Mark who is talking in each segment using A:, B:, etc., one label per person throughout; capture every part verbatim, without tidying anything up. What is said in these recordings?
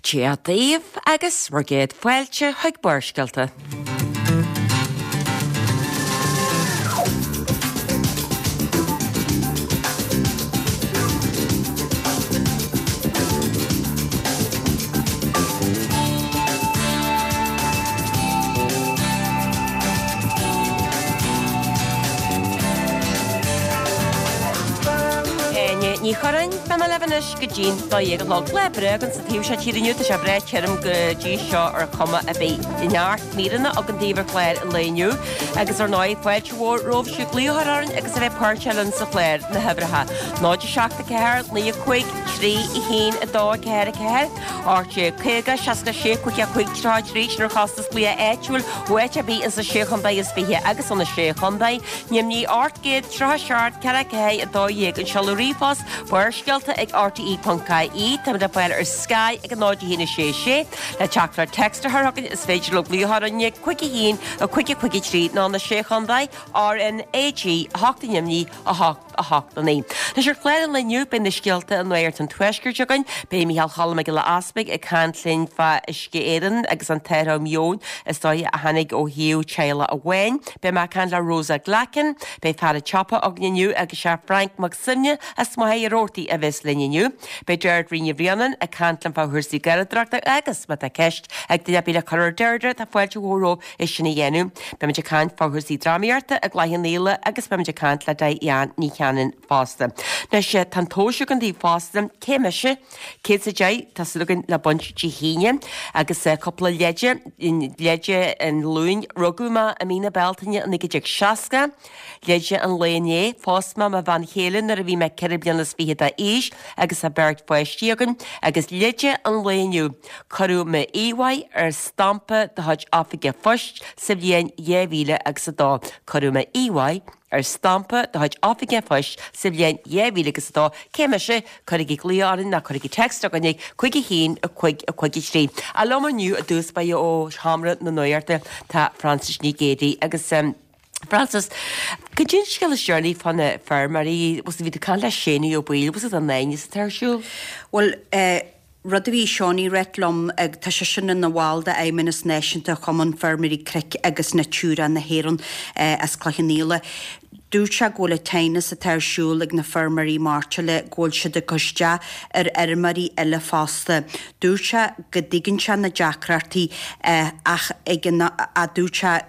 A: Dia daoibh agus bhur gcéad fáilte chuig Barrscéalta. Áine Ní Churráin, beidh mé libh anois go dtí'n dó dhéag a chlog. Lá breá againn sa taobh seo tíre inniu, tá sé breá tirim go dtí seo ar chuma ar bith. Neart míreanna againn daoibh ar chlár an lae inniu agus ar ndóigh fáilte mhór romhaibh siúd glaoch a chur orainn agus a bheith páirteach linn sa chlár, na huimhreacha, náid a seacht a ceathair, naoi a cúig, trí a haon a dó a ceathair a ceathair, ocht déag caoga, seasca a sé, cúig a cúig, tríocha a trí, sin ar chostas glaoch áitiúil ó áit ar bith insa Sé Chontae is Fiche agus ó na Sé Chontae, Nimhní ocht gcéad tríocha seacht ceathair ceathair a dó dhéag, an seoladh ríomhphost, Barrscéalta ag R T E ponc I E, táimid le fáil ar Sky ag a náid a haon a sé sé, le teachtaireacht text a chur chugainn is féidir libh glaoch orainn ag cúig a haon a cúig a cúig a trí nó na Sé Chontae, R N A G a hocht i nDoimní a hocht a hocht a naoi. Anois ar chlár an lae inniu beidh na scéalta i Nuacht an Tuaiscirt againn, beidh Micheál Cholm Mac Giolla Easpaig ag caint linn fá Uisce Éireann agus an t-athrú meoin is dóiche a tháinig ó thaobh teaghlach amháin, beidh mé ag caint le Rosa Glackin, beidh fear an tsiopa againn inniu agus sé Frank Mac Suibhne as Machaire Rabhartaigh a bheas linn inniu. Beidh Deirdre Ní Bhraonáin ag caint linn fá chúrsaí garraíodóireachta agus má tá ceist ag duine ar bith le cur ar Deirdre tá fáilte mhór romhaibh é sin a dhéanamh. Beimid ag caint fá chúrsaí drámaíochta i gCloich Cheann Fhaola agus beimid ag caint le Diane Ní Chanainn fosta. Anois tá an tomhas againn daoibh fosta, cé mise? Céad is a deich, tá súil againn le baint Dé hAoine agus cúpla leide, leide an Luain, rugadh mé i mí na Bealtaine naoi déag seasca, leide an lae inné, phós mé mo bhean chéile nuair a bhí mé ceithre bliana is fiche d'aois agus tá beirt pháistí againn, agus leide an lae inniu, cuireadh m'íomhá ar stampa de chuid oifig an phoist sa bhliain dhá mhíle agus a dó. Cuireadh m'íomhá ar stampa de chuid oifig an phoist sa bhliain dhá mhíle agus a dó. Cé mise? Cuirigí glaoch orainn nó cuirigí text chugainn ag cúig a haon a cúig a cúig a trí. Ach liom inniu i dtús báire ó Sheomra na Nuachta tá Frances Ní Ghéidigh agus Frances, cad é an scéal is deireanaí fá na feirmeoirí, bhí tú ag caint le Séanie Ó Baoill, bhfuil an aighneas atá ar siúl?
B: Bhuel, rud a bhí Seánie ag ráit liom, tá seisean ina bhall d'Fheidhmeannas Náisiúnta Chumann Feirmeoirí Cnoic agus Natura na hÉireann as Cloich Cheann Fhaola. Dúirt sé go bhfuil an t-aighneas atá ar siúl ag na feirmeoirí mairteola, go bhfuil siad ag cur isteach ar fheirmeoirí eile fosta. Dúirt sé go dtuigeann sé na deacrachtaí ach ag an dúirt sé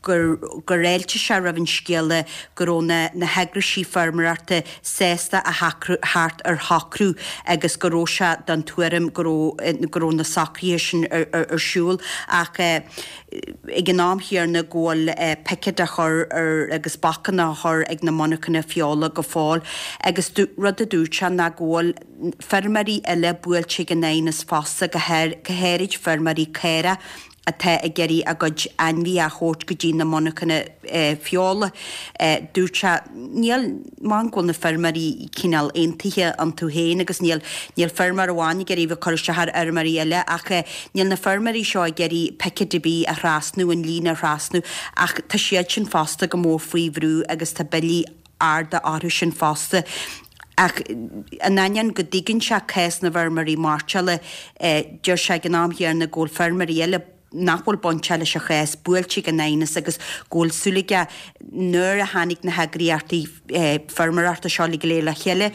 B: gur gur fháiltigh sé roimh an scéala go raibh na na heagraisí feirmeoireachta sásta a theacht ar shocrú agus go raibh sé den tuairim go raibh go raibh na socruithe sin ar ar siúl ach ag an am chéanna go bhfuil picéid á chur ar agus bacanna á chur ag na monarchana feola go fóill agus rud a dúirt sé ná go bhfuil feirmeoirí eile buailte ag an aighneas fosta go háirid feirmeoirí caorach atá ag iarraidh a gcuid ainmhithe a thabhairt go dtí na monarchana feola. Dúirt sé, níl, maith go bhfuil na feirmeoirí cineál aontaithe iontu féin agus níl, níl feirmeoir amháin ag iarraidh bheith cur isteach ar fheirmeoirí eile ach níl na feirmeoirí seo ag iarraidh picéad ar bith a thrasnú, an líne a thrasnú ach tá siad sin fosta go mór faoi bhrú agus tá billí arda orthu sin fosta. Ach in ainneoin go dtuigeann sé cás na bhfeirmeoirí mairteola, deir sé ag an am chéanna go bhfuil feirmeoirí eile nach bhfuil bainteach leis an chás buailte ag an aighneas agus go bhfuil súil aige nuair a tháinig na heagraíochtaí feirmeoireachta seo go léir le chéile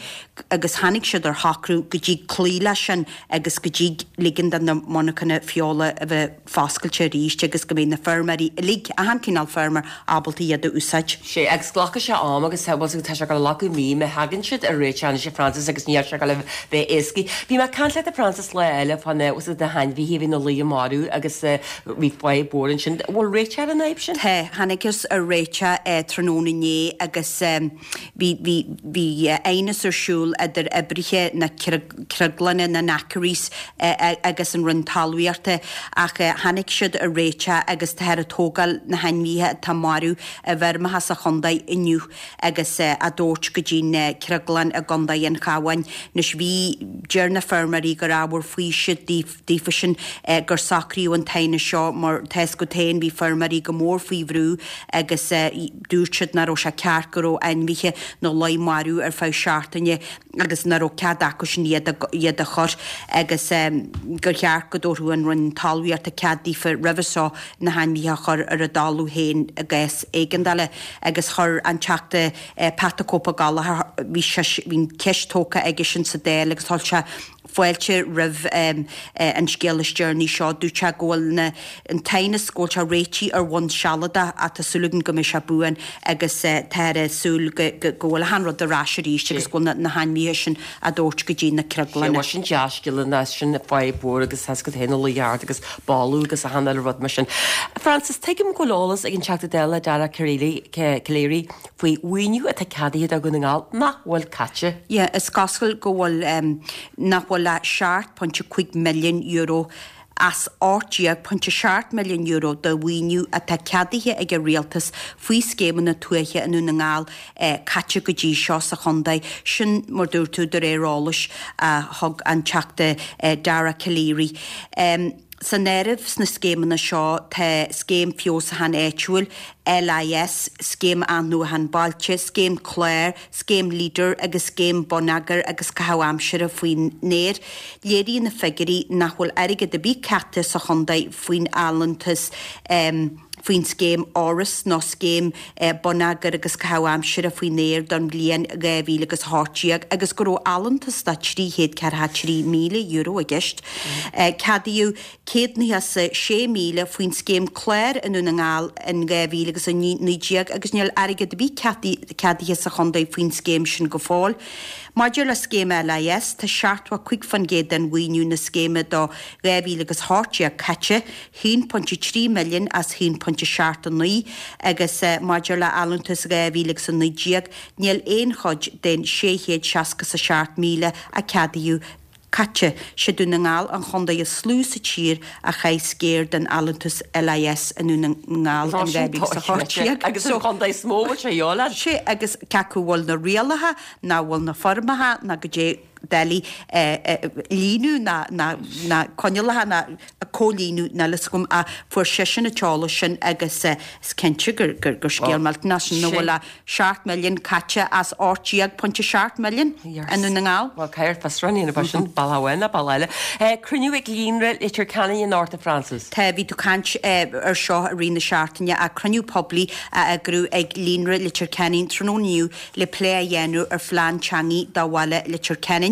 B: agus tháinig siad ar shocrú go dtig cloí leis sin agus go dtig ligean do na monarchana feola a bheith foscailte arís agus go mbeidh na feirmeoirí uilig, achan cineál feirmeoir, ábalta iad a úsáid.
A: Sea, agus glacfaidh sé am agus tá sé ag dul a ghlacadh mí má thagann siad ar réiteach anois a Frances agus níl sé ag dul a bheith éasca. Bhí mé ag caint leat a Frances lá eile fá na, na hainmhithe a bhí ina luí marbh agus bhí fadhb mhór ansin. An bhfuil réiteach ar an fhadhb sin?
B: Tá, thángthas ar réiteach tráthnóna inné agus bhí, bhí, bhí aighneas ar siúl idir oibrithe na cnoclainne, na knackeries agus an Roinn Talmhaíochta ach tháinig siad ar réiteach agus táthar ag tógáil na hainmhithe atá marbh i bhfeirmeacha sa chontae inniu agus á dtabhairt go dtí an chnoclann i gContae an Chabháin. Anois bhí, deir na feirmeoirí gur ábhar faoisimh daofa sin gur socraíodh an t-aighneas seachtaine seo mar tá 'fhios agat féin bhí feirmeoirí go mór faoi bhrú agus dúirt siad nach raibh sé ceart go raibh ainmhithe ina luí marbh ar feadh seachtaine agus nach raibh cead acusan iad iad a chur agus gur cheart go dtabharfadh an Roinn Talmhaíochta cead daofa roimhe seo na hainmhithe a chur ar a dtalamh féin i gcás éigeandála agus chuir an Teachta Pat the Cope Gallagher bhí sé bhí an cheist tógtha aigesean sa Dáil agus chuir sé fáilte roimh an scéal is deireanaí seo. Dúirt sé go bhfuil na an t-aighneas go bhfuil sé réitithe ar bhonn sealadach ach tá súil againn go mbeidh sé buan agus táthar ag súil go go bhfuil achan rud ar ais arís agus go bhfuil na hainmhithe sin á dtabhairt go dtí na
A: crioglana. Sea, sin dea-scéala ná sin fadhb mhór agus tá 'fhios agat féin na luí ard agus boladh agus achan uile rud mar sin. Frances, tuigim go bhfuil eolas ag an Teachta Dála Dara Calleary faoi mhaoiniú atá ceadaithe do Dhún na nGall nach bhfuil caite.
B: Yeah, is cosúil go bhfuil nach bhfuil ach seacht pointe cúig milliún euro as ocht déag pointe seacht milliún euro de mhaoiniú atá ceadaithe ag an Rialtas faoi scéimeanna tuaithe i nDún na nGall caite go dtí seo sa chontae. Sin, mar dúirt tú, de réir eolais a thug an Teachta Dara Calleary. San áireamh sna scéimeanna seo tá Scéim Feabhsúcháin Áitiúil, LIS, Scéim Athnuachan Bailte, Scéim Clár, Scéim Leader agus Scéim Bonneagair agus Caitheamh Aimsire faoin Aer. Léiríonn na figiúirí nach bhfuil airgead ar bith caite sa chontae faoin allúntas faoin scéim Áras nó Scéim Bonneagair agus Caitheamh Aimsire faoin Aer don bhliain dhá mhíle agus a hocht déag agus go raibh allúntas de trí chéad ceathracha trí míle euro i gceist. Ceadaíodh céad nócha 's a sé míle faoin scéim Clár i nDún na nGall in dhá mhíle agus a naoi déag agus níl airgead ar bith ceadaithe sa chontae faoin scéim sin go fóill. Maidir le scéim LIS, tá seachtó a cúig faoin gcéad den mhaoiniú na scéime do dhá mhíle agus a hocht déag caite, haon pointe trí milliún as haon pointe seacht a naoi, agus maidir le allúntas dhá mhíle agus a naoi déag, níl aon chuid den sé chéad seasca 's a seacht míle a ceadaíodh caite. Sé Dún na nGall an chontae is lú sa tír a chaith sciar den allúntas LIS i nDún na nGall in dhá mhíle is a hocht déag.
A: Agus an chontae is mó a bhfuil sé a dhíobháil air.
B: Sé agus cé acu bhfuil na rialacha ná bhfuil na foirmeacha ná goidé doiligh líonadh ná ná ná coinníollacha ná comhlíonadh níl fhios agam ach fuair seisean an t-eolas sin agus is cinnte gur gur gur scéal millteanach sin nach bhfuil ach seacht milliún caite as ocht déag pointe seacht milliún i nDún na nGall.
A: Bhuel, caithfear fiosrúchán a dhéanamh fá sin, bealach amháin nó bealach eile. Cruinniú ag Líonra Leitir Ceanainn anocht, a Frances.
B: Tá, bhí tú ag caint ar seo i rith na seachtaine ach cruinniú poiblí á eagrú ag Líonra Leitir Ceanainn tráthnóna inniu le plé a dhéanamh ar phlean teanga do bhaile Leitir Ceanainn.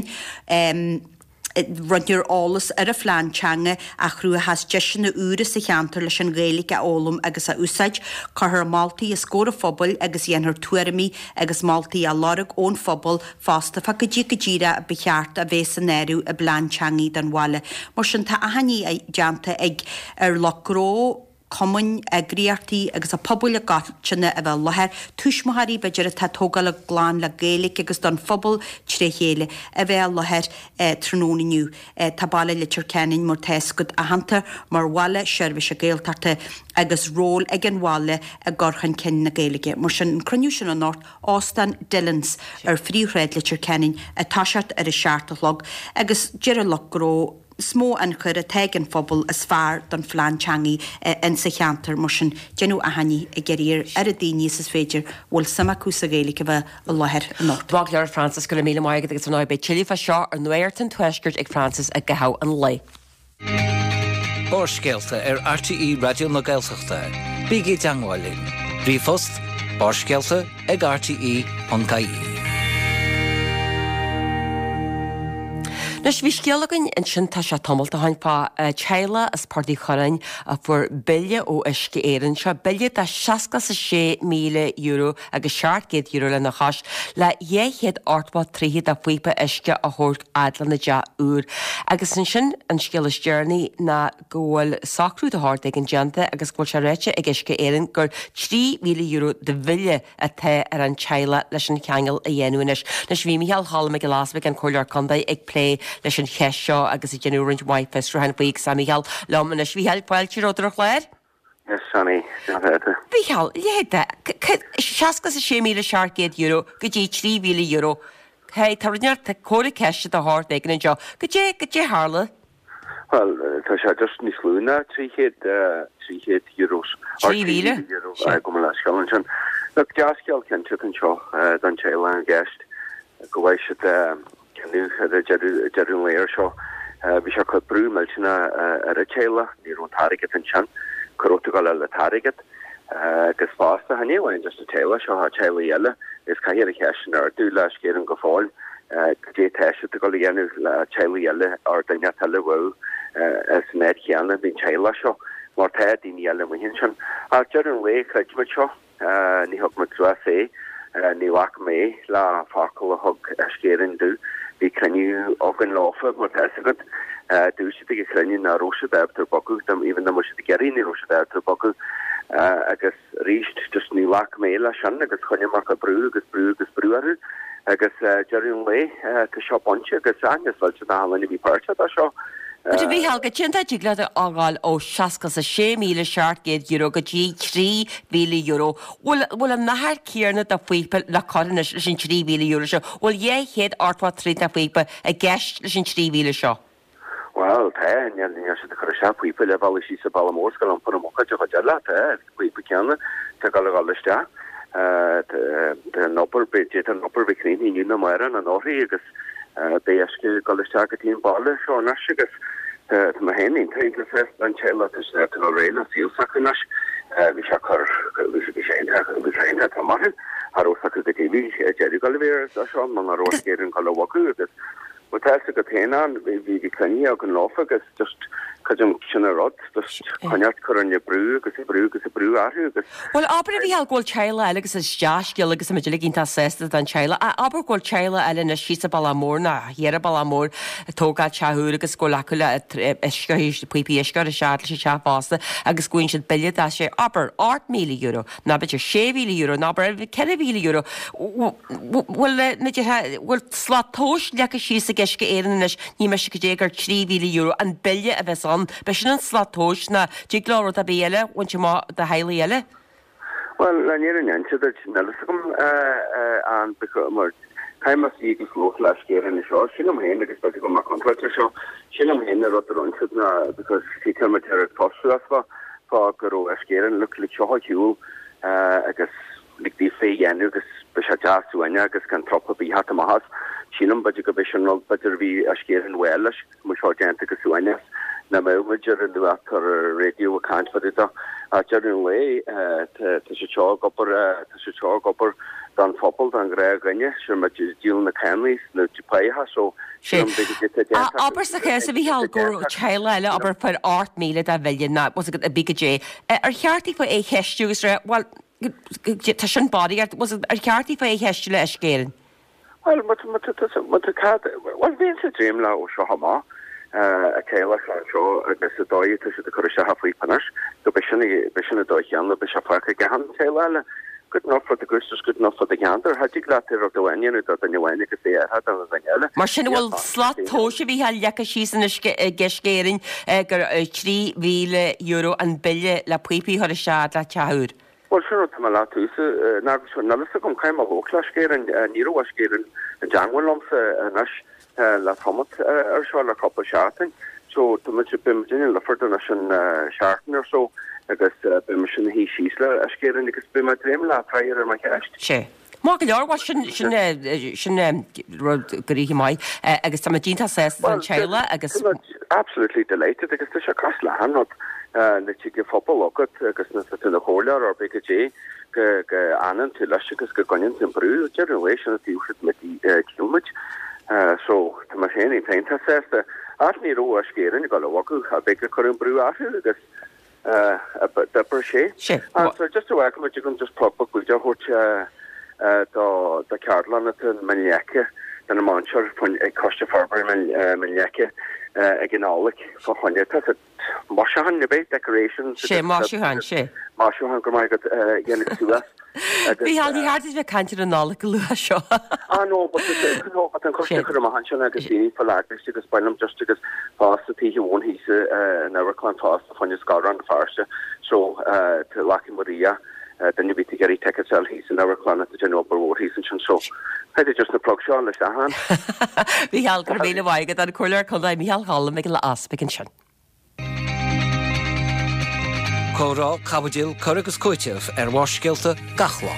B: Roinnfear eolas ar an phlean teanga a chruthóidh deiseanna úra sa cheantar leis an Ghaeilge a fhoghlaim agus a úsáid. Cuirfear moltaí os comhair an phobail agus dhéanfar tuairimí agus moltaí a lorg ón phobal fosta fá goidé go díreach ba cheart a bheith san áireamh i bplean teanga don bhaile. Mar sin tá achainí déanta ag ar lucht gnó, cumainn, eagraíochtaí agus an pobal i gcoitinne a bheith i láthair, tuismitheoirí b'fhéidir atá ag tógáil a gclann le Gaeilge agus don phobal tré chéile a bheith i láthair tráthnóna inniu. Tá baile Leitir Ceanainn mar tá fhios agat aitheanta mar bhaile seirbhíse Gaeltachta agus ról ag an bhaile i gcur chun cinn na Gaeilge. Mar sin an cruinniú sin anocht, Óstán Dillons ar Phríomhshráid Leitir Ceanainn ag toiseacht ar a seacht a chlog agus deir an lucht gnó, Is mó ionchur atá ag an phobal is fearr don phlean teanga insa cheantar, mar sin déanadh achainí ag iarraidh ar oiread daoine is is féidir a bhfuil suim acu sa Ghaeilge a bheith i láthair anocht.
A: Maith go leor Frances, go raibh míle maith agat agus ar ndóigh beidh tuilleadh fá seo ar Nuacht an Tuaiscirt ag Frances i gcaitheamh an lae.
C: Barrscéalta ar RTÉ Raidió na Gaeltachta. Bígí i dteagmháil linn. Ríomhphost, barrscéalta ag rte ponc ie.
A: Anois, bhí scéal againn ansin tá sé tamall ó shin fá teaghlach as Port Uí Churráin a fuair bille ó Uisce Éireann. Seo bille de seasca 's a sé míle euro agus seacht gcéad euro lena chois le dhá chéad ochtó troigh de phíopa uisce a thabhairt fhad lena dteach úr. Agus ansin an scéal is deireanaí ná go bhfuil socrú de shórt éigin déanta agus go bhfuil sé ráite ag Uisce Éireann gur trí mhíle euro de bhille atá ar an teaghlach leis an cheangal a dhéanamh anois. Anois bhí Micheál Cholm Mac Giolla Easbuig, an Comhairleoir Contae, ag plé leis an cheist seo agus ag déanamh roinnt mhaith fiosrúcháin faoi agus tá Micheál liom anois. Mhicheáil, fáilte romhat ar an chlár.
D: Yes, Sonny,
A: Mhicheál, leithéid de seasca 's a sé míle seacht gcéad euro go dtí trí mhíle euro. Hey, tá rud, tá comhartha ceiste de shórt éigin anseo. Goidé, goidé tharla?
D: Bhuel, tá sé just níos lú ná trí chéad trí chéad euros.
A: Trí mhíle?
D: Euro, gabh mo leithscéal ansin. Look, dea-scéal cinnte anseo don teaghlach i gceist go bhfaighidh siad cinneadh ar deireadh deireadh an lae seo. Bhí sé ag cur brú millteanach ar an teaghlach, ní raibh an t-airgead ansin, cá raibh tú ag dul a fháil an t-airgead. Agus fosta, ní amháin just an teaghlach seo, teaghlaigh eile, is caithfear an cheist sin a ardú le Uisce Éireann go fóill. Cad é atá siad ag dul a dhéanamh le teaghlaigh eile or duine eile a bhfuil san áit chéanna bhí an teaghlach seo mar tá daoine eile amuigh ansin. Ach deireadh an lae chreid muid seo, ní thug muid suas é, ní ghlac mé le focal a thug Uisce Éireann domh. Bhí cruinniú againn leofa mar tá fhios agat. Dúirt siad ag an chruinniú nach raibh siad ábalta bogadh, even dá mbeadh siad ag iarraidh ní raibh siad ábalta bogadh agus arís just ní ghlac mé leis sin agus choinnigh mé ag brú agus brú agus brú orthu. Agus deireadh an lae, tá seo bainte agus aithne scoilte na halinn a bhí páirteach dá seo.
A: But a Mhícheáil, cad é an dtig leat a fhágáil ó seasca is a sé míle seacht gcéad euro go dtí trí mhíle euro. Bhfuil bhfuil an achar céanna de phíopa le cur anois leis an trí mhíle euro seo? Bhfuil dhá chéad ochtó troigh de phíopa i gceist leis an trí mhíle seo?
D: Bhuel, tá, níl níl siad ag cur isteach píopa le bealach síos an Bealach Mór 's ag iompar amach de chuid eile, tá, píopa céanna, tá ag dul a dhul isteach. Tá an obair, d'fhéadfadh an obair bheith críochnaithe inniu nó amárach nó anóirthí agus beidh uisce ag dul isteach go dtí an baile seo anois agus tá mé féin iontach iontach sásta an teaghlach tá siad ag dul réidh le saol s'acu anois. Bhí sé cur, bhí sé iontach, bhí sé iontach trom orthu, cha raibh fhios acu goidé bhí deireadh ag dul a bheith air seo muna raibh Uisce Éireann ag dul a bhogadh agus Bhuel tá fhios agat féin ann, bhí bhí cruinnithe againn leofa agus just creidim sin an rud, just coinneáil cur an brú agus brú agus brú orthu agus.
A: Bhuel abair a Mhícheáil go bhfuil teaghlach eile agus is dea-scéal agus tá muid uilig iontach sásta don teaghlach ach abair go bhfuil teaghlach eile anois síos an Bealach Mór nó thiar an Bealach Mór ag tógáil teach úr agus go bhfuil acu le uisce píopaí uisce a chur isteach leis an teach fosta agus go bhfaigheann siad bille de sé abair ocht míle euro nó b'fhéidir sé mhíle euro nó abair ceithre mhíle euro. Bhfuil na bhfuil slat tomhais leagtha síos ag Uisce Éireann anois ní miste go dté gur trí mhíle euro an bille a bheas ann. B'é sin an slat tomhais nó dtig leo rud ar bith eile a bhaint amach do theaghlaigh eile.
D: Bhuel, le fírinne a inse duit, níl fhios agam an mar caithfidh mé suí agus labhairt le Uisce Éireann anseo, sílim féin agus b'fhéidir go bhfuil mé contráilte ar seo, sílim féin an rud a rinne siad ná because tá muid ar tosú as fá fá go raibh Uisce Éireann look lig seo ar shiúl agus lig daofa é a dhéanamh agus beidh sé deas uainne agus gan trup ar bith theacht amach as. Sílim b'fhéidir go b'é sin rud b'fhéidir a bhí Uisce Éireann well leis go mbeadh seo déanta go suaimhneach nach mbeadh muid ar an nuacht ar an raidió ag caint fá dtaobh de. Ach deireadh an lae tá siad seo ag obair tá siad seo ag obair don phobal don ghnáthdhuine sin muid ag díol na cánach na páighe so sílim b'fhéidir go dté
A: déanta Abair sa chás a Mhícheáil go raibh teaghlach eile abair fuair ocht míle de bhille nó a bhí go dté. Ar cheart daofa é a cheistiú agus rá bhuel tá sin barraíocht ar cheart daofa é a cheistiú le Uisce Éireann?
D: Bhuel, má tá, má tá, má tá cad, bhuel, bheinnse ag dréim leo ó seo amach, an teaghlach seo anseo agus an dóigh atá siad ag cur isteach an phíopa anois, go b'é sin, b'é sin an dóigh chéanna, beidh sé fágtha ag achan teaghlach eile. Good enough for the goose is good enough for the gander. Cha dtig leat rud amháin a dhéanamh do dhuine amháin agus é a athrú do dhuine eile.
A: Mar sin, an bhfuil slat tomhais a Mhícheáil leagtha síos anois ag Uisce Éireann gur trí mhíle euro an bille le píopaí a chur isteach le teach úr?
D: Bhuel, sin rud tá mé leat thuas, ná agus níl fhios agam, caithfidh mé labhairt le Uisce Éireann, ní raibh Uisce Éireann i dteangmháil liomsa anois le tamall ar seo, le cúpla seachtain. So, tá muid, beidh muid in Lifford anois an seachtain or so agus beidh mise ina shuí síos le Uisce Éireann agus beidh mé ag dréim le freagra ar mo cheist.
A: Sea. Maith go leor, bhuel sin, sin, sin rud gnoitheach maith agus tá muid iontach sásta don teaghlach agus.
D: Tá muid absolutely delighted agus tá sé cosúil le haon rud nuair tig an phobal agat agus nuair atá tú ina chomhairleoir ar bith goidé go go fhanann tú leis agus go gcoinníonn tú an brú deireadh an lae sin an taobh siad muid díol muid. So tá mé féin iontach sásta ach ní raibh Uisce Éireann ag dul a bhogadh a bheidh ag cur an brú orthu agus d'oibrigh sé.
A: Sé.
D: So just a bhfaca muid agam just plug beag bídeach a thabhairt do do ceardlann atá i Mín Leice do na múinteoirí faoin ag Coiste Forbartha Mín Leice ag an Nollaig fá choinne tá siad maisiúcháin ar bith decorations
A: Sé maisiúcháin, sé.
D: Maisiúcháin go maith agat a dhéanamh suas agus.
A: Mícheál, ní cheart duit bheith ag caint ar an Nollaig go luath seo.
D: Ah no, but no, but an coiste chur amach ansin agus daoine fá eagraíocht agus bain liom just agus fosta taobh amháin thíos in Amharclann fosta fá choinne Scoil Rann na Feirste so Lucky Maria duine a bhí ag iarraidh tickets a fháil thíos in Amharclann atá déanamh obair mhór thíos ansin so caithfidh just na plug seo leis achan.
A: Mícheál, go raibh míle maith agat, an Comhairleoir Contae Mícheál Choilm Mhic Giolla Easpaig ansin.
C: Comhrá, caibidil, cur agus cúiteamh ar Bharrscéalta gach lá.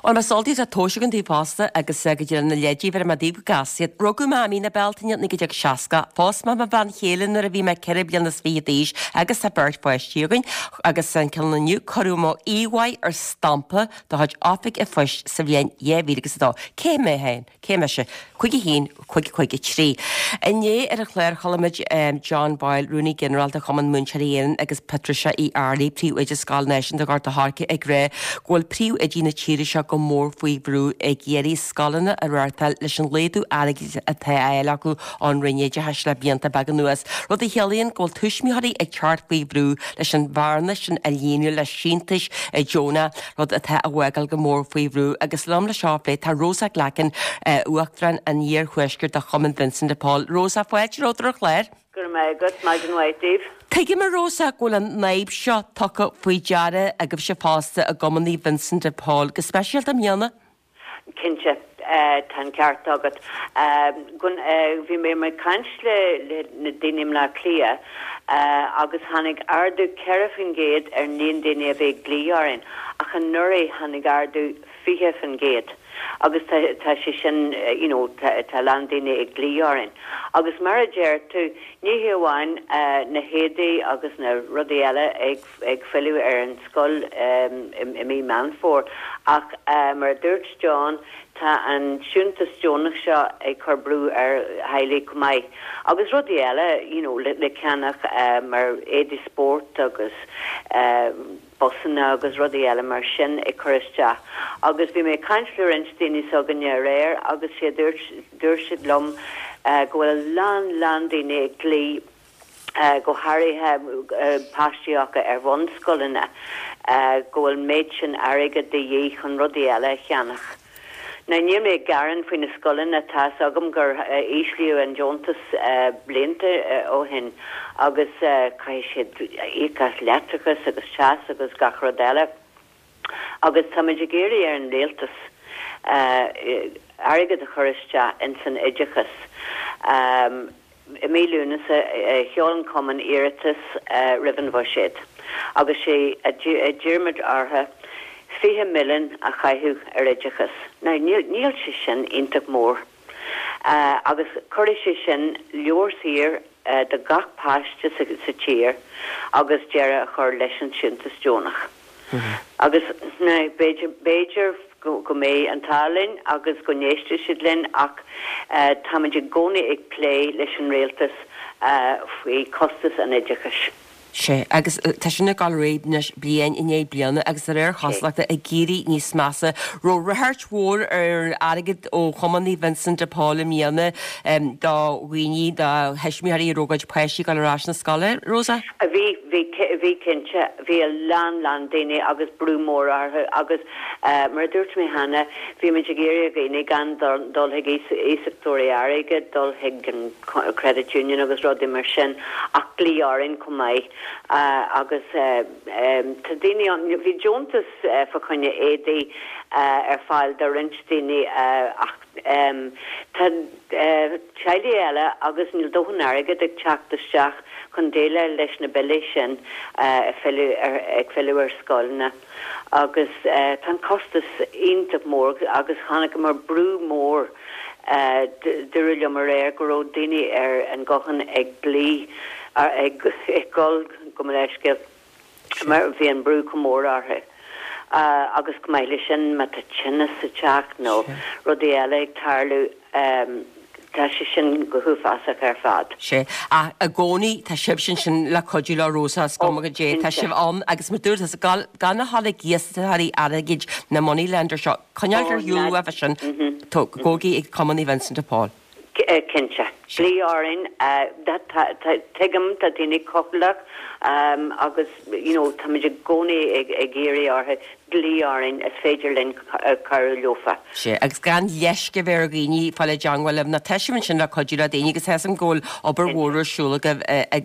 A: Bhuel, más eol daoibh tá tomhais againn daoibh fosta agus go dtí na leidí bheir mé daoibh go gasta iad. Rugadh mé i mí na Bealtaine naoi déag seasca. Phós mé mo bhean chéile nuair a bhí mé ceithre bliana is fiche d'aois agus tá beirt pháistí againn agus an ceann inniu cuireadh mo íomhá ar stampa de chuid Oifig an Phoist sa bhliain dhá mhíle agus a dó. Cé mé féin? Cé mise? Cúig a haon, cúig cúig a trí. Inné ar an chlár chuala muid John Boyle, Rúnaí Ginearálta Chumann Múinteoirí Éireann agus Patricia Uí Fhearraigh, Príomhoide Scoil Náisiúnta Ghort a' Choirce ag rá go bhfuil príomhoidí na tíre seo go mór faoi bhrú ag iarraidh scoileanna a reáchtáil leis an laghdú airgid atá á fháil acu ón Roinn Oideachais le blianta beaga anuas, rud a chiallaíonn go bhfuil tuismitheoirí ag teacht faoi bhrú leis an bhearna sin a líonadh le síntiúis deonacha, rud atá á bhfágáil go mór faoi bhrú. Agus liom le seo a phlé tá Rosa Glackin, Uachtarán an Iarthuaiscirt de Chumann Vincent de Paul. Rosa, fáilte romhat ar an chlár.
E: Go raibh maith agat, maidin mhaith daoibh.
A: Tuigim a Rosa go bhfuil an fhadhb seo tugtha faoi deara agaibhse fosta i gCumann Naomh Vincent de Paul, go speisialta i mbliana.
E: Cinnte, tá an ceart agat. Bhí mé ag caint le na daoine i mBleá Cliath agus tháinig ardú ceithre faoin gcéad ar an líon daoine a bhí ag glaoch orainn ach anuraidh tháinig ardú fiche faoin gcéad agus tá tá sé sin you know tá tá a lán daoine ag glaoch orainn. Agus mar a deir tú, ní hé amháin na héadaí agus na rudaí eile ag ag filleadh ar an scoil i mí Meán Fómhair ach mar a dúirt John, tá an síntiús deonach seo ag cur brú ar theaghlaigh chomh maith. Agus rudaí eile you know le le ceannach mar éadaí spóirt agus busanna agus rudaí eile mar sin ag cur isteach. Agus bhí mé ag caint le roinnt daoine s'againne aréir agus sé dúirt dúirt siad liom go bhfuil a lán lán daoine ag glaoch go háirithe páistí acu ar bhunscoileanna go bhfuil méid sin airgid de dhíth chun rudaí eile a cheannach. Now níl mé ag gearán faoi na scoileanna, tá's agam gur íslíodh an deontas blianta ó shin agus caithfidh siad íoc as leictreachas agus teas agus gach rud eile agus táimid ag iarraidh ar an rialtas airgead a chur isteach ins an oideachas. I mí Lúnasa sheol an Cumann iarratas roimh an bhuiséad agus sé a d'iarr muid orthu fiche milliún a chaitheamh ar oideachas. Now níl níl sé sin iontach mór agus cuirfidh sé sin leabhar saor do gach páiste sa sa tír agus deireadh a chur leis an síntiús deonach. Agus now b'fhéidir b'fhéidir go go mbeidh an t-ádh linn agus go n-éistfidh siad linn ach táimid i gcónaí ag plé leis an rialtas faoi chostas an oideachais.
A: Sea, agus tá sin ag dul ar aghaidh anois bliain i ndiaidh bliana agus de réir chosúlachta ag éirí níos measa. Raibh ráchairt mhór ar airgead ó Chumann Naomh Vincent de Paul i mbliana do dhaoine, do thuismitheoirí a raibh a gcuid páistí ag dul ar ais na scoile, Rosa?
E: Bhí, bhí, bhí cinnte. Bhí a lán, lán daoine agus brú mór orthu agus mar a dúirt mé cheana, bhí muid ag iarraidh ar dhaoine gan dul chuig iasachtóirí airgid, dul chuig an credit union agus rudaí mar sin ach glaoch orainn chomh maith agus tá daoine ann, bhí deontas fá choinne éadaí ar fáil do roinnt daoine ach tá teaghlaigh eile agus níl dóthain airgid ag teacht isteach chun déileáil leis na billí sin ag filleadh ag filleadh ar scoileanna agus tá an costas iontach mór agus chonaiceamar brú mór Dúradh liom aréir go raibh daoine ar an guthán ag glaoch, ag gol gabh mo leithscéal mar bhí an brú chomh mór orthu. Agus chomh maith leis sin, má tá tinneas sa teach nó rudaí eile ag tarlú, tá sé sin go huafásach ar fad.
A: Sea, ach i gcónaí tá sibhse ansin le cuidiú leo Rosa, is cuma goidé, tá sibh ann agus mar dúirt tusa, gan a dhul ag iasachtóirí airgid na money lender seo, coinneáil ar shiúl uaibh sin, gabhaigí ag Cumann Naomh Vincent de Paul.
E: Cinnte. Glaoigh orainn. Tuigim, tá daoine cúthaileach agus you know táimid i gcónaí ag iarraidh orthu dlí orainn is féidir linn cabhrú leofa.
A: Sea, agus gan leisce a bheith ar dhaoine fáil i dteangmháil libh, nó tá sibh ansin le cuidiú le daoine agus tá 'fhios a'm go bhfuil obair mhór ar siúl agaibh,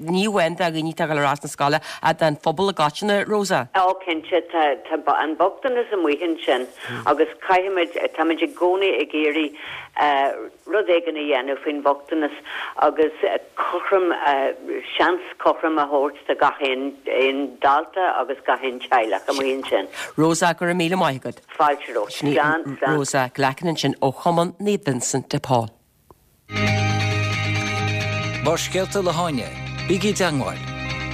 A: ní amháin do dhaoine atá ag dul ar ais na scoile ach don phobal i gcoitinne, Rosa.
E: Ó, cinnte, tá tá an bochtanas amuigh ansin agus caithfimid, táimid i gcónaí ag iarraidh rud éigin a dhéanamh faoin bhochtanas agus cothrom, seans cothrom a thabhairt do gach aon aon dalta agus gach aon teaghlach amuigh ansin.
A: Rosa, go raibh míle maith agat.
E: Fáilte romhat.
A: Sin í
E: Slán, slán.
A: Rosa Glackin ansin ó Chumann Naomh Vincent de Paul.
C: Barrscéalta le hÁine, bígí i dteangmháil,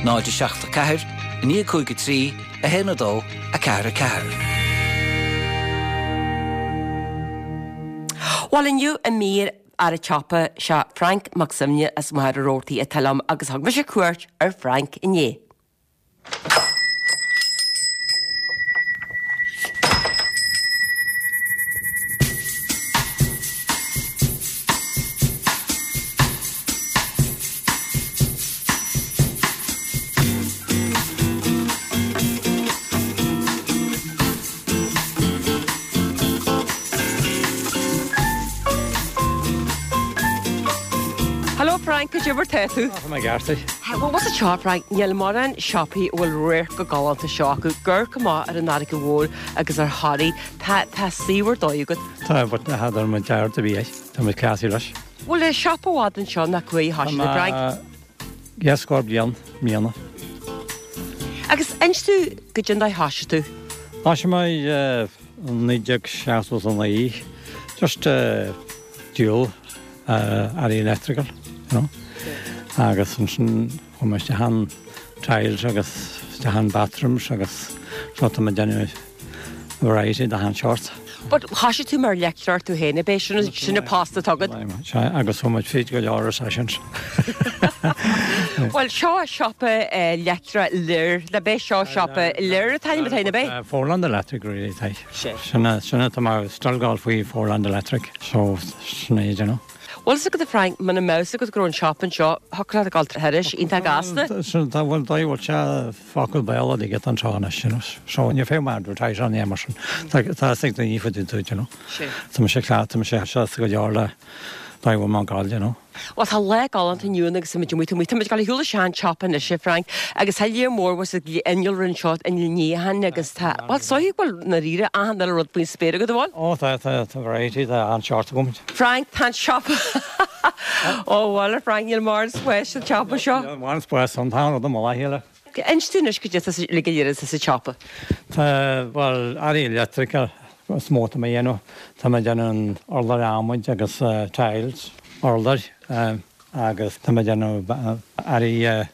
C: náid a seacht a ceathair, a naoi a cúig a trí, a haon a dó, a ceathair a ceathair.
A: Bhuel inniu i mír Fhear an tSiopa sé Frank Mac Suibhne as Machaire Rabhartaigh atá liom agus thug mise cuairt ar Frank inné. Hello Frank, cad é mar tá tú?
F: Tá mé ceart.
A: Bhuel, what's a seo, Frank? Níl mórán siopaí a bhfuil radharc chomh galánta seo acu. Ag amharc amach ar an Fharraige Mhór agus ar Thoraigh. Tá tá suíomh ar dóigh agat.
F: Tá, but n'fheadar mo dear a bhí é. Tá mé cleasaí leis.
A: Bhfuil an siopa i bhfad anseo nach bhfuil
F: Tá
A: thoisigh, Frank?
F: dhá scór bliain, i mbliana.
A: Agus inis domh goidé an dóigh a thoisigh tú.
F: Thoisigh mé i naoi déag seachtó a naoi, just díol earraí electrical, you know. Agus ansin chuaigh mé isteach in tiles agus isteach in bathrooms agus so tá mé ag déanamh variety de achan seort.
A: But thoisigh tú mar leictreoir tú féin, ab é? Sin sin an post atá agat.
F: Sea, agus chuaigh muid fríd go leor recessions.
A: Bhuel, seo siopa leictreach Lir, ab é seo siopa Lir atá ann, ab é?
F: Foreland Electric really tá. Sin sin atá mé still ag gabháil faoi Foreland Electric, so sin é, you know.
A: Bhfuil fhios agat a Frank, muna mbeadh fhios agat go raibh an siopa anseo, thiocfadh leat a ghabháil thairis, iontach gasta.
F: Sin tá bhfuil dóigh bhfuil sé focal béal a get anseo anois, you know. So ní féidir mé advertise an é mar sin. Tá tá fhios ag daoine faoi dúid, you know. Tá mise cleacht, tá mise sásta go leor le dóigh bhfuil mé ag gabháil, you know.
A: Bhuel, tá lá galánta inniu ann agus táimid amuigh, táimid ag dul ar shiúl isteach an tsiopa anois, a Frank, agus tá lear mór bhfuil fhios agat innealra anseo, inneall níocháin agus tá, bhuel, is dóigh go bhfuil i ndáiríre achan uile rud faoin spéir agat, an bhfuil?
F: Ó, tá, tá, tá variety, tá an-seort agam.
A: Frank, tá an siopa, ó bhuel, a Frank, níl mórán spáis sa tsiopa seo.
F: Níl mórán spáis ann, tá an rud i mullach a chéile.
A: Inis dúinn anois goidé atá sa, le go léir atá sa tsiopa.
F: Tá, bhuel, earraí electrical is mó atá mé a dhéanamh. Tá mé ag déanamh an urlár adhmaid agus tiles, urláir, agus tá mé ag déanamh earraí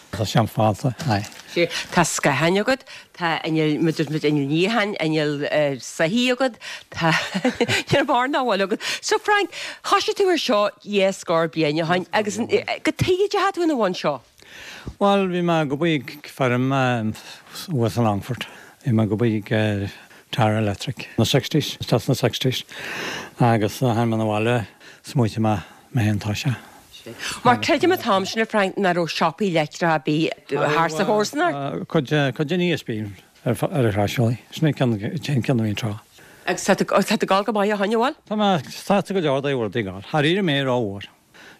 F: tá sé an-fhada, aye.
A: Sea, tá scátháin agat, tá inneall, muid muid inneall níocháin, inneall soithí agat, tá níl mórán nach bhfuil agat. So Frank, thoisigh tú ar seo dhá scór bliain ó shin agus cad tuige a dteachaigh tú ina bhun seo?
F: Bhuel, bhí mé ag obair ag feirm thuas i Longfort. Bhí mé ag obair ag Tara Electric na sixties, isteach sna sixties agus tháinig mé 'na bhaile, smaoitigh mé mé féin toiseacht.
A: Mar creidim an t-am sin, a Frank, nach raibh siopaí leictreacha ar bith thart sa chomharsanacht.
F: Cuid cuid den ESB ar ar Chrois Sin é ceann ceann a bhí anseo.
A: Agus tá tú tá tú ag gabháil go maith ó shin, an bhfuil?
F: Tá mé sásta go leor dóigh a bhfuil rudaí ag gabháil. Tháinig mé rómhór.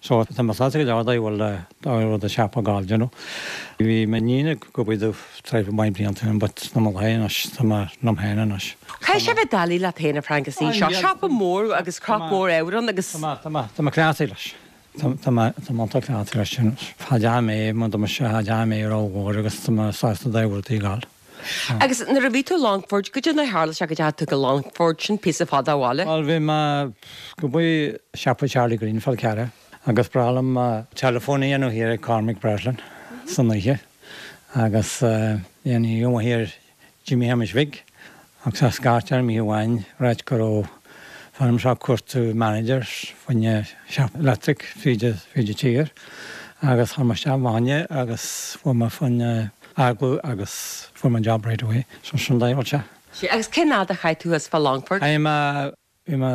F: So tá mé sásta go leor dóigh a bhfuil dóigh a bhfuil an siopa ag gabháil, you know. Bhí m'iníon ag obair domh tráth maith blianta ó shin but tá mé léi anois, tá mé liom féin anois.
A: Caithfidh sé bheith doiligh leat féin a Frank is í seo siopa mór agus crop mór ábhar ann agus.
F: Tá mé, tá mé, tá mé cleachtaithe leis. Tá, tá mé, tá mé iontach cleachtaithe leis sin. Cha dteachaigh mé, mar tá mise, cha dteachaigh mé rómhór agus tá mé sásta dóigh a bhfuil rudaí ag gabháil.
A: Agus nuair a bhí tú i Longford, goidé mar a tharla sé go dteachaigh tú go Longford, sin píosa fada ó bhaile?
F: Bhuel, bhí mé ag obair i siopa Charlie Greene Fál Carrach agus ba bhreá liom teileafón a dhéanamh thiar ag Cormac Breslin san oíche agus bhí an oíche amuigh thiar Jimmy Shéamais Bhig agus a scairt orm oíche amháin ag ráit go raibh feirm seo ag cuartú managers fá choinne shop electric fríd fríd an tír agus chuir mé isteach fá choinne agus fuair mé fá choinne agallamh agus fuair mé an job right away. So sin dóigh a bhfuil sé.
A: Sea, agus cén fhad a chaith tú thuas fá Longford?
F: Chaith mé, bhí mé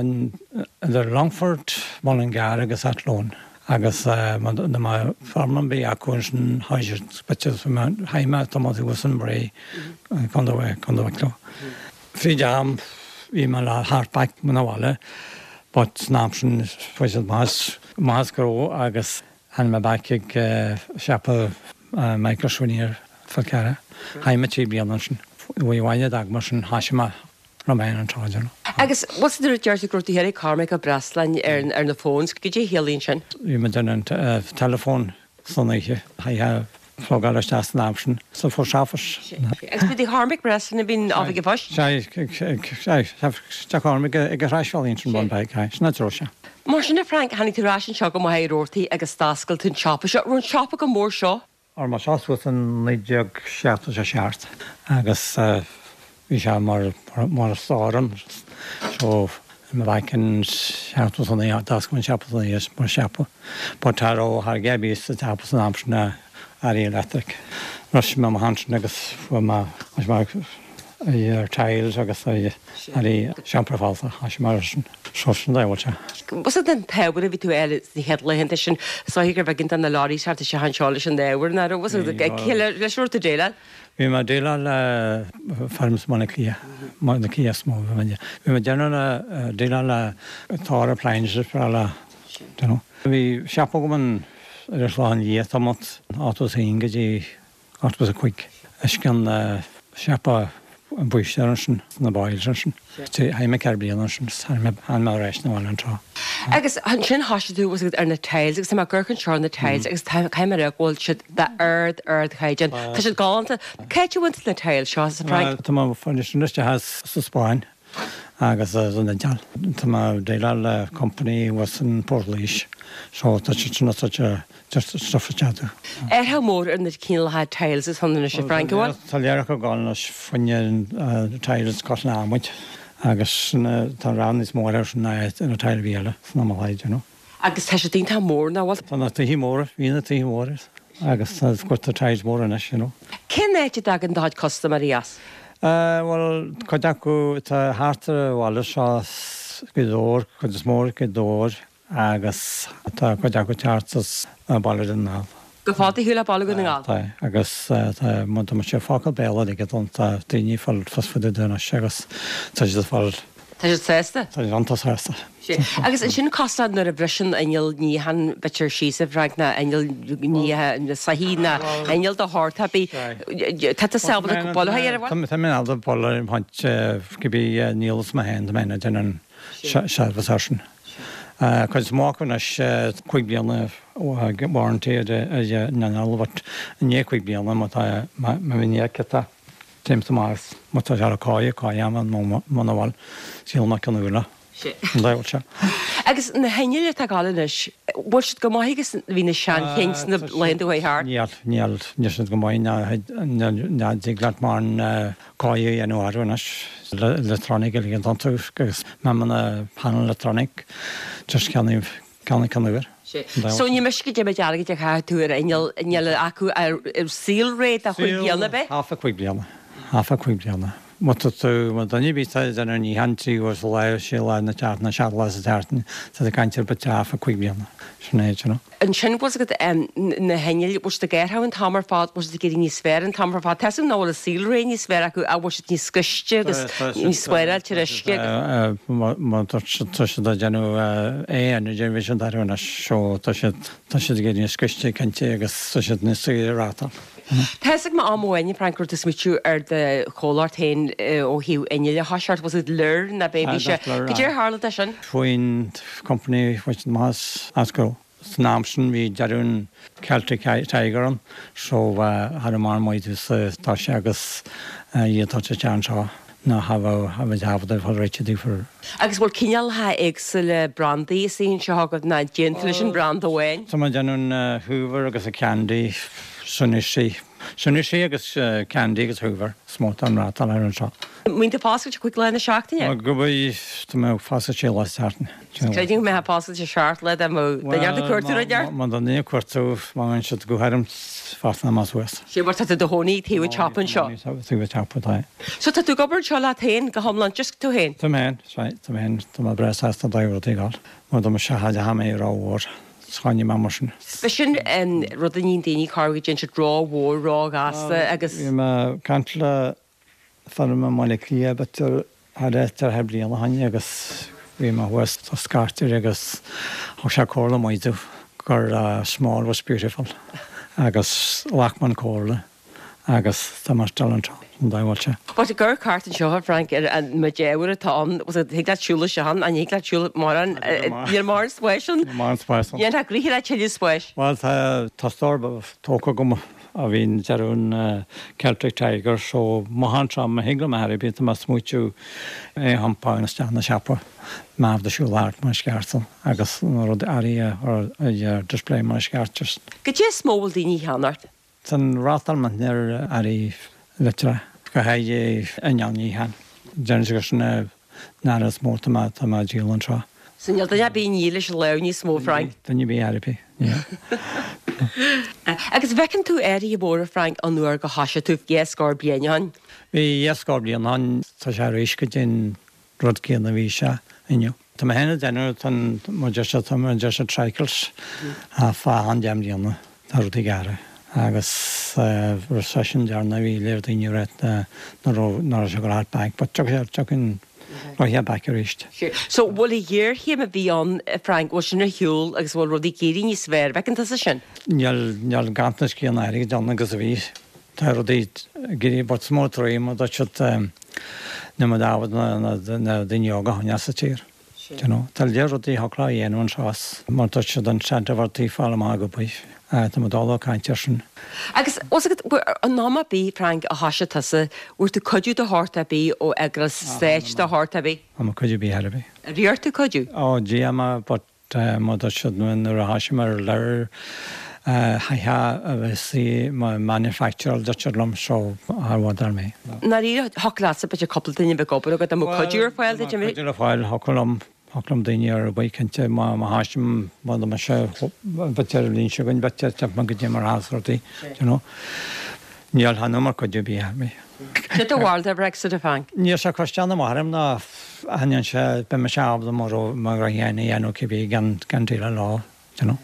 F: idir Longford, Mullingar agus Athlone agus má dá mbeadh feirm ar bith acu ansin chaith siad, chaith mé tamall thuas in Bray, Contae, Contae Wicklow. Fríd am bhí mé le theacht back na bhaile, but san am sin fuair siad maith maith go raibh agus tháinig mé back ag siopa Michael Sweeney Fál Carrach. Chaith mé trí bliana ansin. Uaidh abhaile d'fhág mar sin thoisigh mé liom féin an tráth sin.
A: Agus what's the deir tú go raibh tú thiar ag Cormac Ó Breasláin ar ar na phones, goidé a chiallaíonn sin?
F: Bhí mé ag déanamh an teileafón san oíche. Chaithfeá plugáil isteach san am sin sa post office.
A: Agus bhí Cormac Breslin a bhíonn oifig an phoist?
F: Sea, sea, Cormac ag an Thraisbhealaí ansin bun beag, sin an treo sea.
A: Mar sin a Frank, tháinig tú ar ais anseo go Machaire Rabhartaigh agus d'oscail tú an siopa seo. Raibh an siopa chomh mór seo?
F: Ar mo seo suas in naoi déag seachtó a seacht agus bhí sé mar mar stór so ma back in seachtó a naoi d'oscail an siopa san oíche mar siopa. But cha raibh a dhath ar bith sa tsiopa san am sin earraí electric. Rinne mé mo shean agus fuair mé ar tiles agus earraí seomra falsa thoisigh mar sin. So sin dá bhfuil sé.
A: Was it an t-ábhar a bhí tú air sna chéad laethanta sin is dóigh gur bheag na leoraí thart isteach anseo leis an ábhar ná raibh was it leis an rud tú déileáil?
F: Bhí mé ag déileáil le firms Bhaile Átha Cliath, Baile Átha Cliath is mó bhí mé bhí mé ag déanamh le déileáil le Thor appliances for le you know. Bhí siopa agam an ar an Chlochán Liath tamall ochtó is a haon go dtí ochtó is a cúig. Is cionn siopa an búistéir ansin sna Boyles ansin. Chaith mé ceithre bliana ansin tháinig mé ar ais na bhaile an tráth.
A: Agus ansin thoisigh tú was ar na tiles agus tá mé ag amharc anseo ar na tiles agus tá caithfidh mé a rá go bhfuil siad d'ard ardchaighdeán. Tá siad galánta. Cá háit a bhfuair tú na tiles seo a Frank?
F: Tá mé fáil sin isteach as sa Spáinn agus san Iodáil. Tá mé ag déileáil le company thuas in Port Laoise so tá siad sin such a just stuff a cheadú.
A: Athrú mór ar na cineálacha tiles is ann anois a Frank, an bhfuil?
F: Tá léiriú ag gabháil anois fá choinne tiles cosúil le adhmaid agus tá rogha níos mó air sin ná na tile bhí eile sna Malaid, you know.
A: Agus tá siad iontach mór nach bhfuil?
F: Tá na tithe móra, bhí na tithe móra agus tá tá tiles móra anois, you know.
A: Cén áit a dtagann do chuid custaiméirí as?
F: Bhuel, cuid acu tá thart ar an bhaile seo Gaoth Dobhair, cuid is mó Gaoth Dobhair agus tá cuid acu thart as Baile Dhún na nGall.
A: Go fada shiúl le Baile Dhún na nGall?
F: Tá, agus tá má tá sé focal Béarla aige don tá daoine ag fáil fios fá dtaobh anois agus tá siad ag fáil
A: Tá siad sásta?
F: Tá siad iontach sásta.
A: Agus ansin cosúil nuair a bhriseann inneall níocháin b'fhéidir síos a Frank ná inneall níocháin na soithí ná inneall de shórt ar bith. Tá tú ábalta bualadh air, an bhfuil?
F: Tá mé ábalta bualadh ar an cibé níl fhios mé féin tá mé ag déanamh an service air sin. Cuid is mó acu anois cúig bliana warranty ar an inneall but i ndiaidh cúig bliana má tá má bhíonn tá Téim amach má tá sé ar cáidhe, cáidhe ama nó muna bhfuil, sílim nach cionn úlla. An diabhal seo.
A: Agus na hinnill atá ag gabháil anois, bhfuil siad go maith agus bhí na seanchinn sna laethanta a chuaigh thart?
F: Níl, níl, níl siad go maith ná ná dtig leat mórán cáidhe a dhéanamh orthu anois. Electronic uilig atá iontu agus meamanna panel electronic just ceannaigh Ceannaigh ceann úr.
A: So ní miste go dtéimid airgead a chaith tú ar inneall, inneall acu ar saolré de chúig bliana ab é?
F: Half a cúig bliana. Half a cúig bliana. Má tá tú, má duine ar bith ag déanamh níocháin trí uair sa lá, sé lá na seachtaine, seacht lá sa tseachtain, tá tú ag caint ar about half a cúig bliana. Sin é, you know.
A: Ansin bhfuil fhios agat na hinnill, bhfuil siad ag athrú an t-am ar fad, bhfuil siad ag éirí níos fearr an t-am ar fad? Tá fhios agam nach bhfuil an saolré níos fearr acu ach bhfuil siad níos gaiste agus níos spáráilte ar uisce agus.
F: Má tá siad ag déanamh aon déanamh sin d'athrú anois so tá siad tá siad ag éirí níos gaiste cinnte agus tá siad níos saoire reáchtáil.
A: Tá fhios agam am amháin a Frank go raibh tú ag smaoitiú ar do chomhlacht féin ó thaobh innill a thoiseacht, was it Lir ná b'é bhí sé? Cad é ar tharla dó sin?
F: Faoin company which maith as go. San am sin bhí deireadh an Celtic Tiger ann so cha raibh mórán maith sa toise agus iad toite isteach anseo ná cha bheadh cha bheadh ábalta fáil réitithe daofa.
A: Agus bhfuil cineálacha éagsúla brandaí istigh anseo agat ná déanann tú leis an branda amháin?
F: Tá mé ag déanamh an Hoover agus an Candy, Tsuneishi, Tsuneishi agus Candy agus Hoover is mó atá an rátáil air anseo.
A: An mbíonn tú foscailte cúig lá na seachtaine?
F: Go bhí, tá mé foscailte sé lá sa tseachtain.
A: Creidim go mbeifeá foscailte seacht lá dá mbeadh duine ag cuartú rud ort.
F: Má tá duine ag cuartú, má bhíonn siad go háirithe foscailte amach suas.
A: Sé mar tá tú i do chónaí taobh an tsiopa anseo.
F: Taobh an tsiopa, tá.
A: So tá tú ag obair anseo leat féin go hiomlán, just tú féin?
F: Tá mé féin, right, tá mé féin, tá mé breá sásta dá rudaí a fháil. Mar dá mba sea, cha mé rómhór. Choinnigh mé mar sin.
A: B'shin an rud a níonn daoine, corruair go dtéann siad ró-mhór, ró-ghasta agus.
F: Bhí mé ag caint le Fuair mé i mBaile Átha Cliath b'fhéidir thar thar bliain ó shin agus bhí mé thuas sa scairtear agus thug sé comhairle maith domh gur small was beautiful agus ghlac mé an comhairle agus tá mé still anseo an dá bhfuil sé.
A: But ag cur cairt anseo Frank ar an ma déhar atá an thig leat siúl sé an an thig leat siúl mar an níl mar spáis
F: an Mar spáis.
A: Dhéan ríthe le tuilleadh spáis.
F: Well tá tá stór tógtha agam a bhíonn dearún Celtic Tiger so má tram ma higle me bí má smúú é hampá isteach na siopa má de siúl thart mar sceartal agus na rud airí ar display mar sceart just.
A: Go dé smó bhfuil daoine cheannart?
F: San rátal man ar airí litra go haidé an han. Déan go sin ná is mó tá tá má díol anseo.
A: So níl duine bí nílis le níos mó Frank.
F: Duine bí airpí.
A: Agus bhfeiceann tú athruithe móra Frank an uair go thosaigh tú dhá scór bliain ó shin.
F: Bhí dhá scór bliain ann tá sé arís go dtí rud céanna bhí sé inniu. Tá mé féin déanamh tan mar deir tá mar deir sé tricles a fá an deich mbliana tá rudaí gearra. agus recession dearna bhí léir daoine reit na ná se go back, but tugann roiche back arís.
A: So bhfuil i géarchéim a bhí ann Frank bhfuil sin ar shiúl agus bhfuil rudaí éirí níos fearr bhfeiceann tusa sin?
F: Níl níl ganntanas céanna airgid ann agus a bhí. Tá rudaí géirí but smó troí má dá siad na ma dáhad na na daoine óga chuine sa tír. You know, Tá léir rudaí thoclá dhéanamh an sás mar tá siad an seanbhartaí fáil amach go buí. Tá mo dála caint sin.
A: Agus an nama bí Frank a thosaigh tusa, bhfuair tú cuidiú de shórt ar bith ó eagras stáit de shórt ar bith?
F: Tá ma cuidiú bí ar bith.
A: Riar tú cuidiú?
F: Ó G M but má tá siad nuair a thosaigh mar leir haithe a bheith sí má manufacturer dúirt liom so ar mé.
A: Ná thoclása be cúpla duine bheith obair agat am cuidiú ar fáil
F: Cuidiú ar fáil thiocfadh liom thiocfadh liom daoine ar bith cinnte má má thosaím má má sé b'fhéidir líon se gon b'fhéidir te go dtí mar hásrtaí you know. Níl han mar cuidiú bí mé.
A: Sé do bharúil de Brexit a Frank?
F: Níl sé costeanna marm ná haon sé be me seab mar mar dhéana dhéanú cibé gan gan dé lá you know.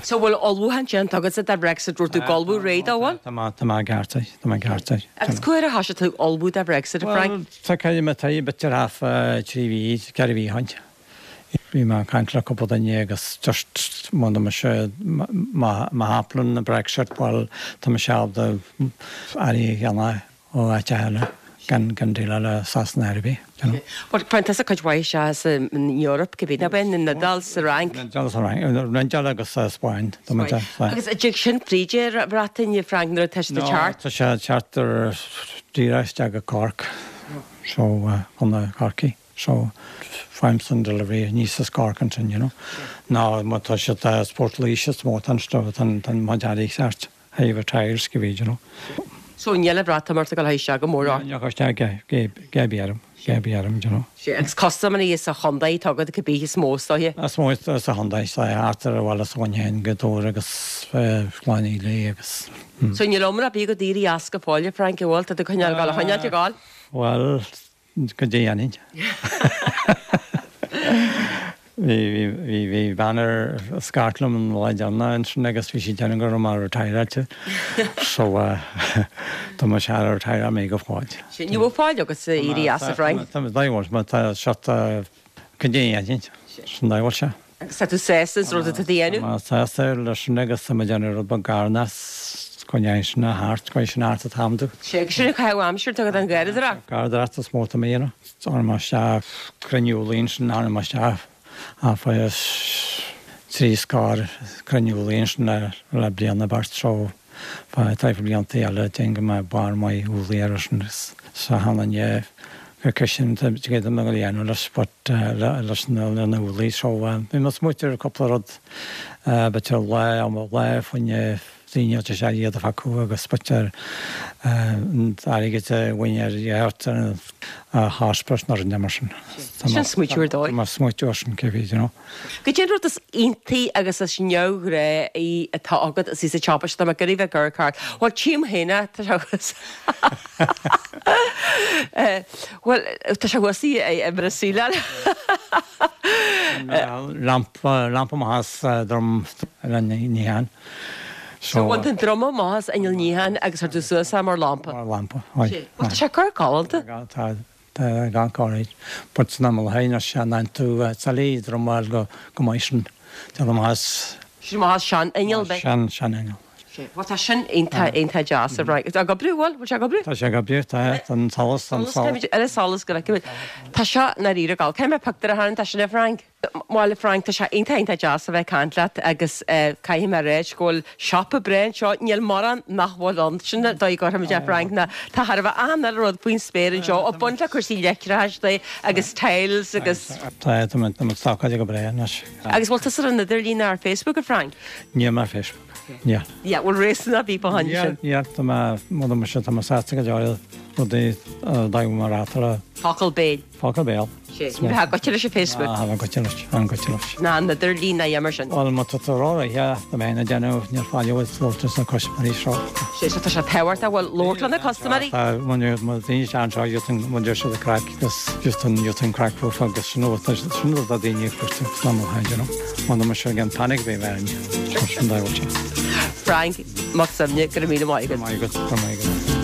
A: So bhfuil ullmhúchán déanta agat de Brexit rud tú golbú réid amháin?
F: Tá tá má cearta tá má cearta.
A: Agus cuair a thosaigh tú ullmhú de Brexit a Frank?
F: Tá caiid me tá b'fhéidir half trí mhí ceithre mhí ó shin. Bhí má caint le cúpla duine agus just má sé má tharlaíonn na Brexit bhfuil tá me seab de airí dhéanamh ó áit eile gan gan dé le Sasana ar bith.
A: But Frank tá cuid mhaith sé sa Europe go bí na ben in Iodáil sa Fhrainc.
F: Iodáil agus sa Spáin.
A: Agus a dtig sin fríde Breataine Frank nuair atá sé teacht?
F: Tá sé teacht díreach go Cork so chun na Corcaí. So faighim delivery níos as Cork ansin, you know. Ná má tá sé Port Laoise is mó tan tan tan má dearí ceart hever tires go bhí, you know.
A: So níle Breatimeacht go sé go mór
F: Gabíarm Gabíarm, you know.
A: Agus custaiméirí is a Hyundai tagad go bí is mó stoithe?
F: Is mó is a Hyundai sa átar a bhfuil a bhain go dóir agus chláí lé agus.
A: So níl omra bí go daoirí as go fáile Frank i bhfuil tá chuneáil gal a choinneáil gáil?
F: Well, go dé anin. Bhí bhí bhí banner scairt liom an lá deanna ansin agus bhí sí déanamh go mar retireáilte so tá mar sé retire mé go fáid.
A: Sin ní bhfuil fáil agus éirí as a Frank?
F: Tá daimh má tá seat go dé anin sin daimh se.
A: Agus tá tú sásta rud atá déanamh?
F: Má sásta leis sin agus tá déanamh rud beag garnas coinneáil sin a thart coin sin art athamú.
A: Sé sin chu aimsir tu an garradóireacht?
F: Garradóireacht is mó tá mé Ar mar se cruinniúlaíon sin ar mar se a fa trí scór cruinniúlaíon sin le le bliana bart so fa taifir blianta eile den go mbeidh barr maith úllaí ar sin sa hana go sin go me dhéanamh leis sport leis na na úllaí so bhí mas muitir cúpla rud b'fhéidir lá am lá faoine daoine sé iad a fágáil agus b'fhéidir airgead a bhain ar an hospice nar an mar sin.
A: Sin smaoitiúir dóigh.
F: Mar smaoitiúir sin cé you know.
A: Go dé rud is iontaí agus is neamhghnách í atá agat is í sa teapa tá go bheith gur cart. Well tím héine tá agus Well tá sé sí é Brasíle.
F: Lampa lampa mas drom ní han.
A: So bhain tú an druma amach as inneall níocháin agus chuir tú suas é mar lampa.
F: Mar lampa, aye.
A: Bhuel tá sé corr galánta.
F: Tá, tá gan corr But san am féin sé an tú salaí druma go go maith sin. Tá amach
A: Sin amach as sean inneall be.
F: Sean sean inneall.
A: Bhuel tá sin iontach iontach deas a Fhrainc. Tá ag oibriú bhfuil? Bhfuil sé ag oibriú?
F: Tá sé ag oibriú, tá an solas an solas.
A: Ar an solas go bhfeicimid. Tá seo ndáiríre gal. Caithfidh mé pictiúr a tharraingt as sin a Fhrainc? Bhuel a Fhrainc, tá sé iontach iontach deas a bheith ag caint leat agus caithfidh mé a ráit go bhfuil siopa breá anseo. Níl mórán nach bhfuil ann. Sin an dóigh a gcuirfimid é a Fhrainc ná tá thar a bheith achan uile rud faoin spéir anseo ag baint le cúrsaí leictreachais de agus tiles agus.
F: Tá tá muid stocáilte go breá anois.
A: Agus bhfuil tusa ar an idirlíon ar Facebook a Fhrainc?
F: Níl mé ar Facebook. Níl.
A: Yeah, bhfuil réasún ar bith fá choinne sin.
F: Níl, tá mé, mura mise, tá mé sásta go deo rudaí a d'fhaigheadh mar eatarthu.
A: Focal béil.
F: Focal béil.
A: Sé, ní bheadh goite leis an Facebook.
F: Ná, bheadh goite leis, an goite leis.
A: Ná an idirlíon ná mar sin.
F: Bhuel, má tá tú ró-réidh, tá mé ag déanamh, níl fáil uait labhairt leis na custaiméirí seo.
A: Sé, so tá sé tábhachtach, bhuel, labhairt le na custaiméirí.
F: Tá, má daoine isteach anseo, gheobhaidh siad an craic, agus gheobhaidh an craic fúthu agus sin rud sin rud atá daoine ag cuartú san am ó shin, you know. Má tá mise ag an panic bhí mé ann. Sin dá bhfuil sé.
A: Frank Mac Suibhne, go raibh míle maith agat.
F: Go raibh maith agat, go raibh maith agat.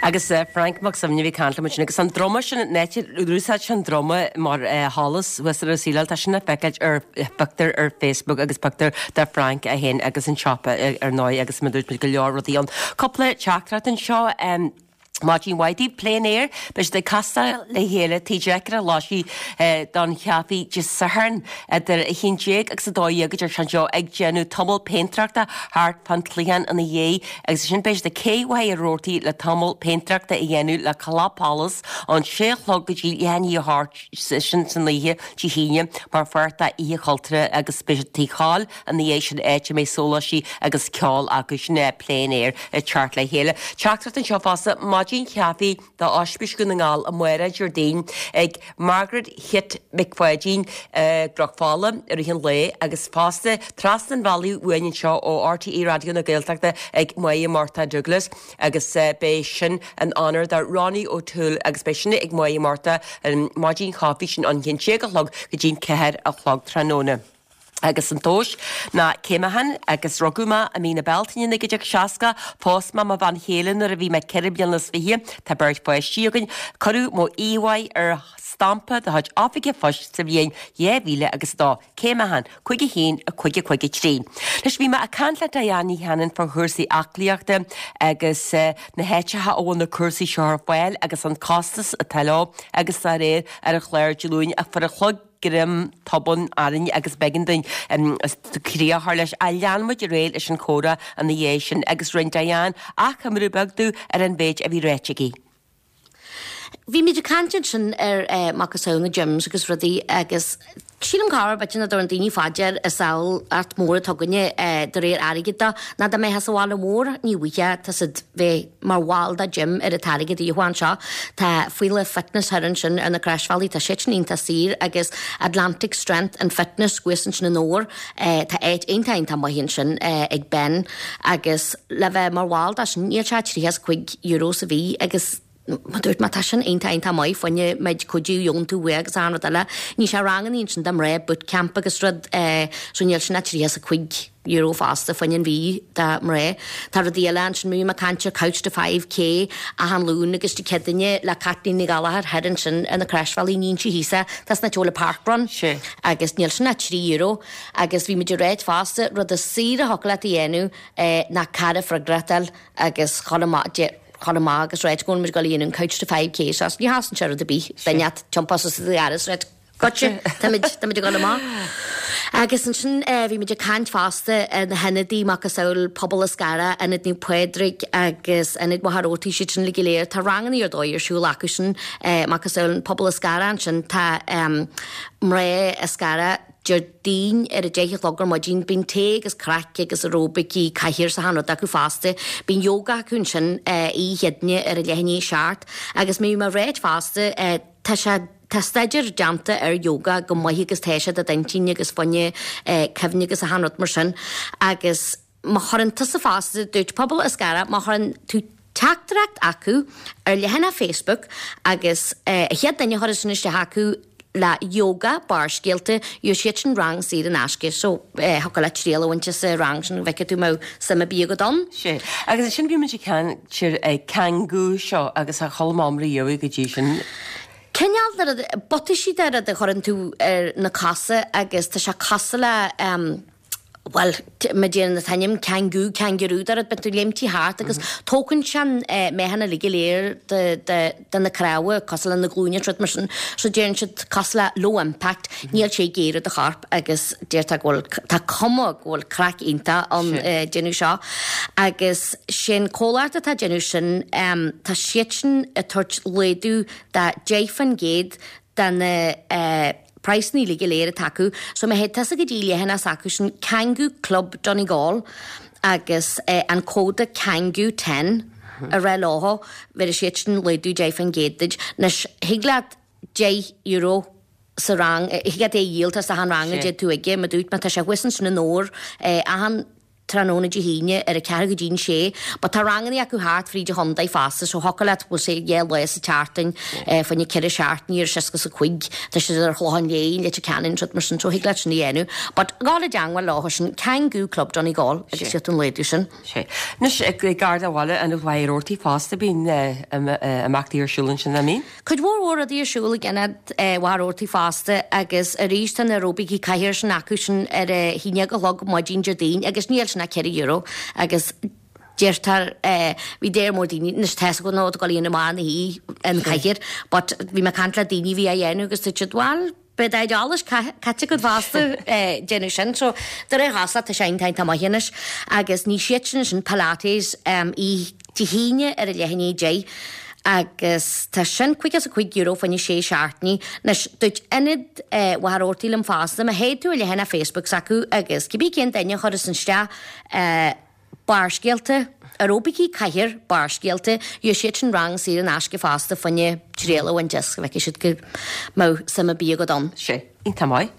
A: Agus Frank Mac Suibhne a bhí ag caint liom ansin agus an druma sin, an áit ar úsáid sé an druma mar sholas thuas ar an síleáil, tá sin le feiceáil ar phictiúr ar Facebook agus pictiúr de Frank é féin agus an siopa ar ndóigh agus mar a dúirt muid go leor rudaí ann. Cúpla teachtaireacht anseo. Maidin mhaith daoibh, Plein Air, beidh siad ag castáil le chéile Tigh Dheacair Lóisí don chaife Dé Sathairn idir a haon déag agus a dó dhéag a deir sé anseo ag déanamh tamall péintéireachta thart fán chloicheán ina dhiaidh agus ansin beidh siad ag Cé Mhachaire Rabhartaigh le tamall péintéireachta a dhéanamh le Club Palace ón sé a chlog go dtí leath i ndiaidh a hocht sin san oíche Dé hAoine mar pháirt d'Oíche Chultúrtha agus beidh siad Tigh Chóil ina dhiaidh sin áit a mbeidh sóláistí agus ceol acu sin é Plein Air ag teacht le chéile. Teachtaireacht anseo fosta, Maidin Chaife do Ospís Dhún na nGall amárach Déardaoin ag Margaret Chit Mhic Pháidín i gCnoc Fola i rith an lae agus fosta trasna an bhealaigh uainn anseo ó RTÉ Raidió na Gaeltachta ag Máire Murtagh Douglas agus beidh sin in onóir do Ronnie O'Toole agus beidh sin ag Máire Murtagh an maidin chaife sin ón haon déag a chlog go dtí'n ceathair a chlog tráthnóna. Agus an tomhas ná cé mé féin agus rugadh mé i mí na Bealtaine naoi déag seasca, phós mé mo bhean chéile nuair a bhí mé ceithre bliana is fiche, tá beirt pháistí againn, cuireadh mo íomhá ar stampa de chuid Oifig an Phoist sa bhliain dhá mhíle agus a dó, cé mé féin, cúig a haon, a cúig a cúig a trí. Anois bhí mé ag caint le Diane Ní Chanainn fá chúrsaí aclaíochta agus na háiteacha a bhfuil na cúrsaí seo ar fáil agus an costas atá leo agus dá réir ar an chlár Dé Luain ach fuair an clog greim tobann orainn agus b'éigean dúinn críoch a chur leis. Ach lean muid ar aghaidh leis an chomhrá ina dhiaidh sin agus rinne Diane achoimre beag dúinn ar an mhéid a bhí ráite aici.
G: Bhí muid ag caint ansin ar macasamhail na gyms agus rudaí agus sílim corruair b'fhéidir nach dtabharann daoine fá dear an tsamhlaíocht mhór atá againne de réir airgid de ná dá mbeifeá sa bhaile mór ní bhfaighfeá tá siad bheith mar bhall de gym ar an t-airgead a gheofá anseo. Tá Faoile Fitness thoir ansin ar na Croisbhealaí, tá siad sin iontach saor agus Atlantic Strength and Fitness thuas ansin in Dobhar, tá áit iontach iontach maith ansin ag Ben agus le bheith mar bhall de sin níl sé ach tríocha is cúig euro sa mhí agus Mar dúirt mé, tá sin iontach iontach maith, fá choinne méid cuidiú a gheobhann tú uaidh agus achan rud eile. Ní sé rangannaí ansin do mná, boot camp agus rud, so níl sin ach tríocha is a cúig euro fosta fá choinne an mhí do mná. Tá rudaí eile ansin, bhí mé ag caint ar Couch to five K achan Luan agus Dé Céadaoine le Caitlín Ní Ghallchóir thoir ansin ar na Croisbhealaí, ní inse thíos é, tá san áit a bhfuil an parkrun agus níl sin ach trí euro. Agus bhí muid ag ráit fosta, rud is saoire a thiocfadh leat a dhéanamh ná cara freagracht a fháil agus chur amach, chur amach agus ráit go bhfuil muid ag dul a dhéanamh an Couch to five K so ní chosnaíonn sé rud ar bith duine inteacht tiompá suas i do gharradh is ráit Gotcha, táimid táimid ag dul amach. Agus ansin bhí muid ag caint fosta ar na hionadaí macasamhail Pobal Eascarrach, Ionad Naomh Pádraig agus Ionad Mhachaire Rabhartaigh, siad sin uilig go léir. Tá rangannaí ar dóigh ar siúl acu sin macasamhail an Pobal Eascarrach ansin tá mná Eascarrach, Déardaoin ar a deich a chlog ar maidin. Bíonn tae agus craic agus aeróbaicí cathaoir is achan rud acu fosta. Bíonn yoga acu ansin oíche Chéadaoine ar a leath i ndiaidh a seacht. Agus bhí mé ag ráit fosta, tá sé, tá staidéar déanta ar yoga go maith agus tá sé do d'intinn agus fá choinne cuimhne agus achan rud mar sin. Agus. má chuireann tusa fosta dúirt Pobal Eascarrach má chuireann tú teachtaireacht acu ar leathanach Facebook agus eh, a chéad duine a chuireann sin isteach acu le yoga Barrscéalta gheobhaidh siad sin rang saor in aisce so eh, thiocfadh leat triail a bhaint as an rang sin go bhfeicfidh tú an mbeadh suim ar bith agat ann.
A: Sé. Agus ansin bhí muid ag caint ar eh, Kangoo seo agus a chuala mé riamh go dtí sin.
G: Cineál de rud buataisí de rud a chuireann tú ar na cosa agus tá sé cosúil le um, Well, mar deireann an t-ainm kangoo, kangaroo de rud bíonn tú ag léimtí thart agus tógann sé an meáchan uilig go léir de, de, de na cnámha cosúil le na glúine rud mar sin. So deireann siad cosúil le low impact, níl sé ag géarú do chorp agus deirtear go bhfuil tá cuma go bhfuil craic iontach an eh, déanamh seo. Agus sin comhlacht atá ag déanamh sin, um, tá siad sin ag tabhairt laghdú de deich faoin gcéad de na eh, praghsanna uilig go léir atá acu, so má théid tusa go dtí leathanach s'acu sin Kangoo Club Donegal agus eh, an códa Kangoo ten a rá leo, bhéarfaidh siad sin laghdú deich faoin gcéad duit. Anois thig leat deich euro sa rang, eh, thig leat é a dhíol as achan rang a
A: Sé.
G: dtéid tú aige, mar dúirt mé tá sé thuas ansin in Ór, eh, achan tráthnóna Dé hAoine ar a ceathair go dtí'n sé, but tá ranganna acu thart fríd an chontae fosta, so thiocfadh leat bhfuil sé dhá lá sa tseachtain, eh, fá choinne ceithre seachtainí ar seasca is a cúig, tá siad ar Chlochán Léith, Leitir Ceanainn, rud mar sin, so thig leat sin a dhéanamh. But gabh i dteangmháil leo sin Kangoo Club Donegal agus
A: Sé.
G: siad an laghdú sin.
A: Sé. Anois ag gar do bhaile an Mhachaire Rabhartaigh fosta bíonn eh, im- eh, imeachtaí ar siúl ansin an mbíonn.
G: Cuid mhór mhór rudaí ar siúl ag ionad eh, Mhachaire Rabhartaigh fosta agus arís tá na aeróbaicí cathair sin acu sin ar a haon déag a chlog maidin Déardaoin agus níl sin ach ceithre euro agus deirtear eh, bhí deir mór daoine anois tá go nó go líon amach na hí an cathair, but bhí mé ag caint le daoine bhí á dhéanamh agus dúirt siad bhuel beidh deich caite agat fosta eh, déanamh sin, so de réir chás tá sé iontach maith anois agus ní siad sin sin Pilates um, i Dé hAoine ar a leath i ndiaidh a deich. Agus tá sin caoga is a cúig euro fá choinne sé seachtainí. Anois dúirt ionad eh, Mhachaire Rabhartaigh liom fosta, má théid tú ar leathanach Facebook s'acu agus cibé cén duine a chuireas isteach eh, Barrscéalta, aeróbaicí cathair Barrscéalta, gheobhaidh siad sin rang saor in aisce fosta fá choinne triail a bhaint as go bhfeicfidh siad go mbeadh suim ar bith agat ann.
A: Sé. Iontach maith.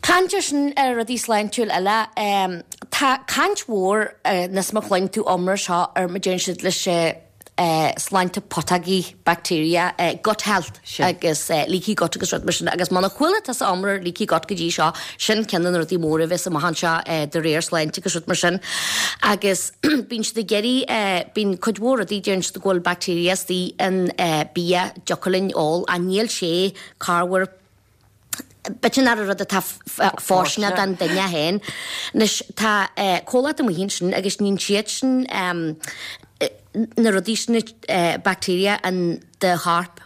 G: Caint ar sin ar rudaí sláintiúil eile, um, tá caint mhór uh, níos má chluin tú iomrá seo ar mar deireann siad leis uh, uh, sláinte putógaí bacteria, uh, gut health
A: Sin.
G: agus uh, leaky gut agus rud mar sin agus muna chuala tusa iomrá ar leaky gut go dtí seo sin ceann de na rudaí móra a bheas amach anseo uh, de réir sláinte agus rud mar sin agus bíonn siad ag iarraidh uh, bíonn cuid mhór rudaí deireann siad go bhfuil bacteria istigh in uh, bia deocair linn ól a níl sé corruair B'fhéidir nach rud atá fóirsteanach don duine féin. Anois tá eh, comhlacht amuigh ansin agus níonn siad sin um, na rudaí sin eh, bacteria an de chorp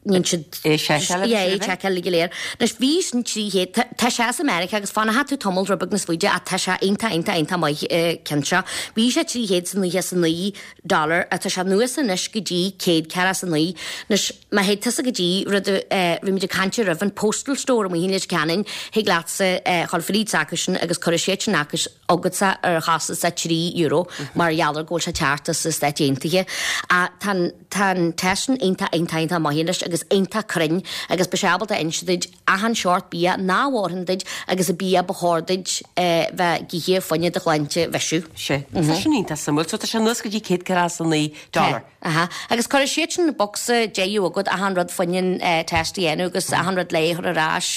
G: níonn siad
A: É seiceáil
G: Yeah, é
A: agus
G: seiceáil go léir. Anois bhí sin trí chéad tá sé as America agus fanfaidh tú tamall rud beag níos faide ach tá sé iontach iontach iontach maith eh, ceann seo. Bhí sé trí chéad is nócha is a naoi dollar atá sé anuas anois go dtí céad ceathracha is a naoi. Anois má théid tusa go dtí rud eh, bhí muid ag caint roimh an postal store amuigh in Leitir Ceanainn thig leatsa eh, chul fríd s'acu sin agus cuirfidh siad sin acu agatsa ar chostas a trí euro mar gheall ar go bhfuil sé teacht as na Stáit Aontaithe. A tá tá an test sin iontach iontach iontach maith anois agus iontach cruinn agus beidh sé ábalta inse duit achan seort bia nach bhfóireann duit agus an bia ba chóir duit eh, bheith ag ithe fá choinne do shláinte a bheisiú.
A: Sé. Tá sin iontach suimiúil, so tá sé anuas go dtí céad ceathracha is a naoi dollar.
G: Aha. Agus cuirfidh siad sin bocsa deiú agat achan rud fá choinne eh, test a dhéanamh agus achan rud le chur ar ais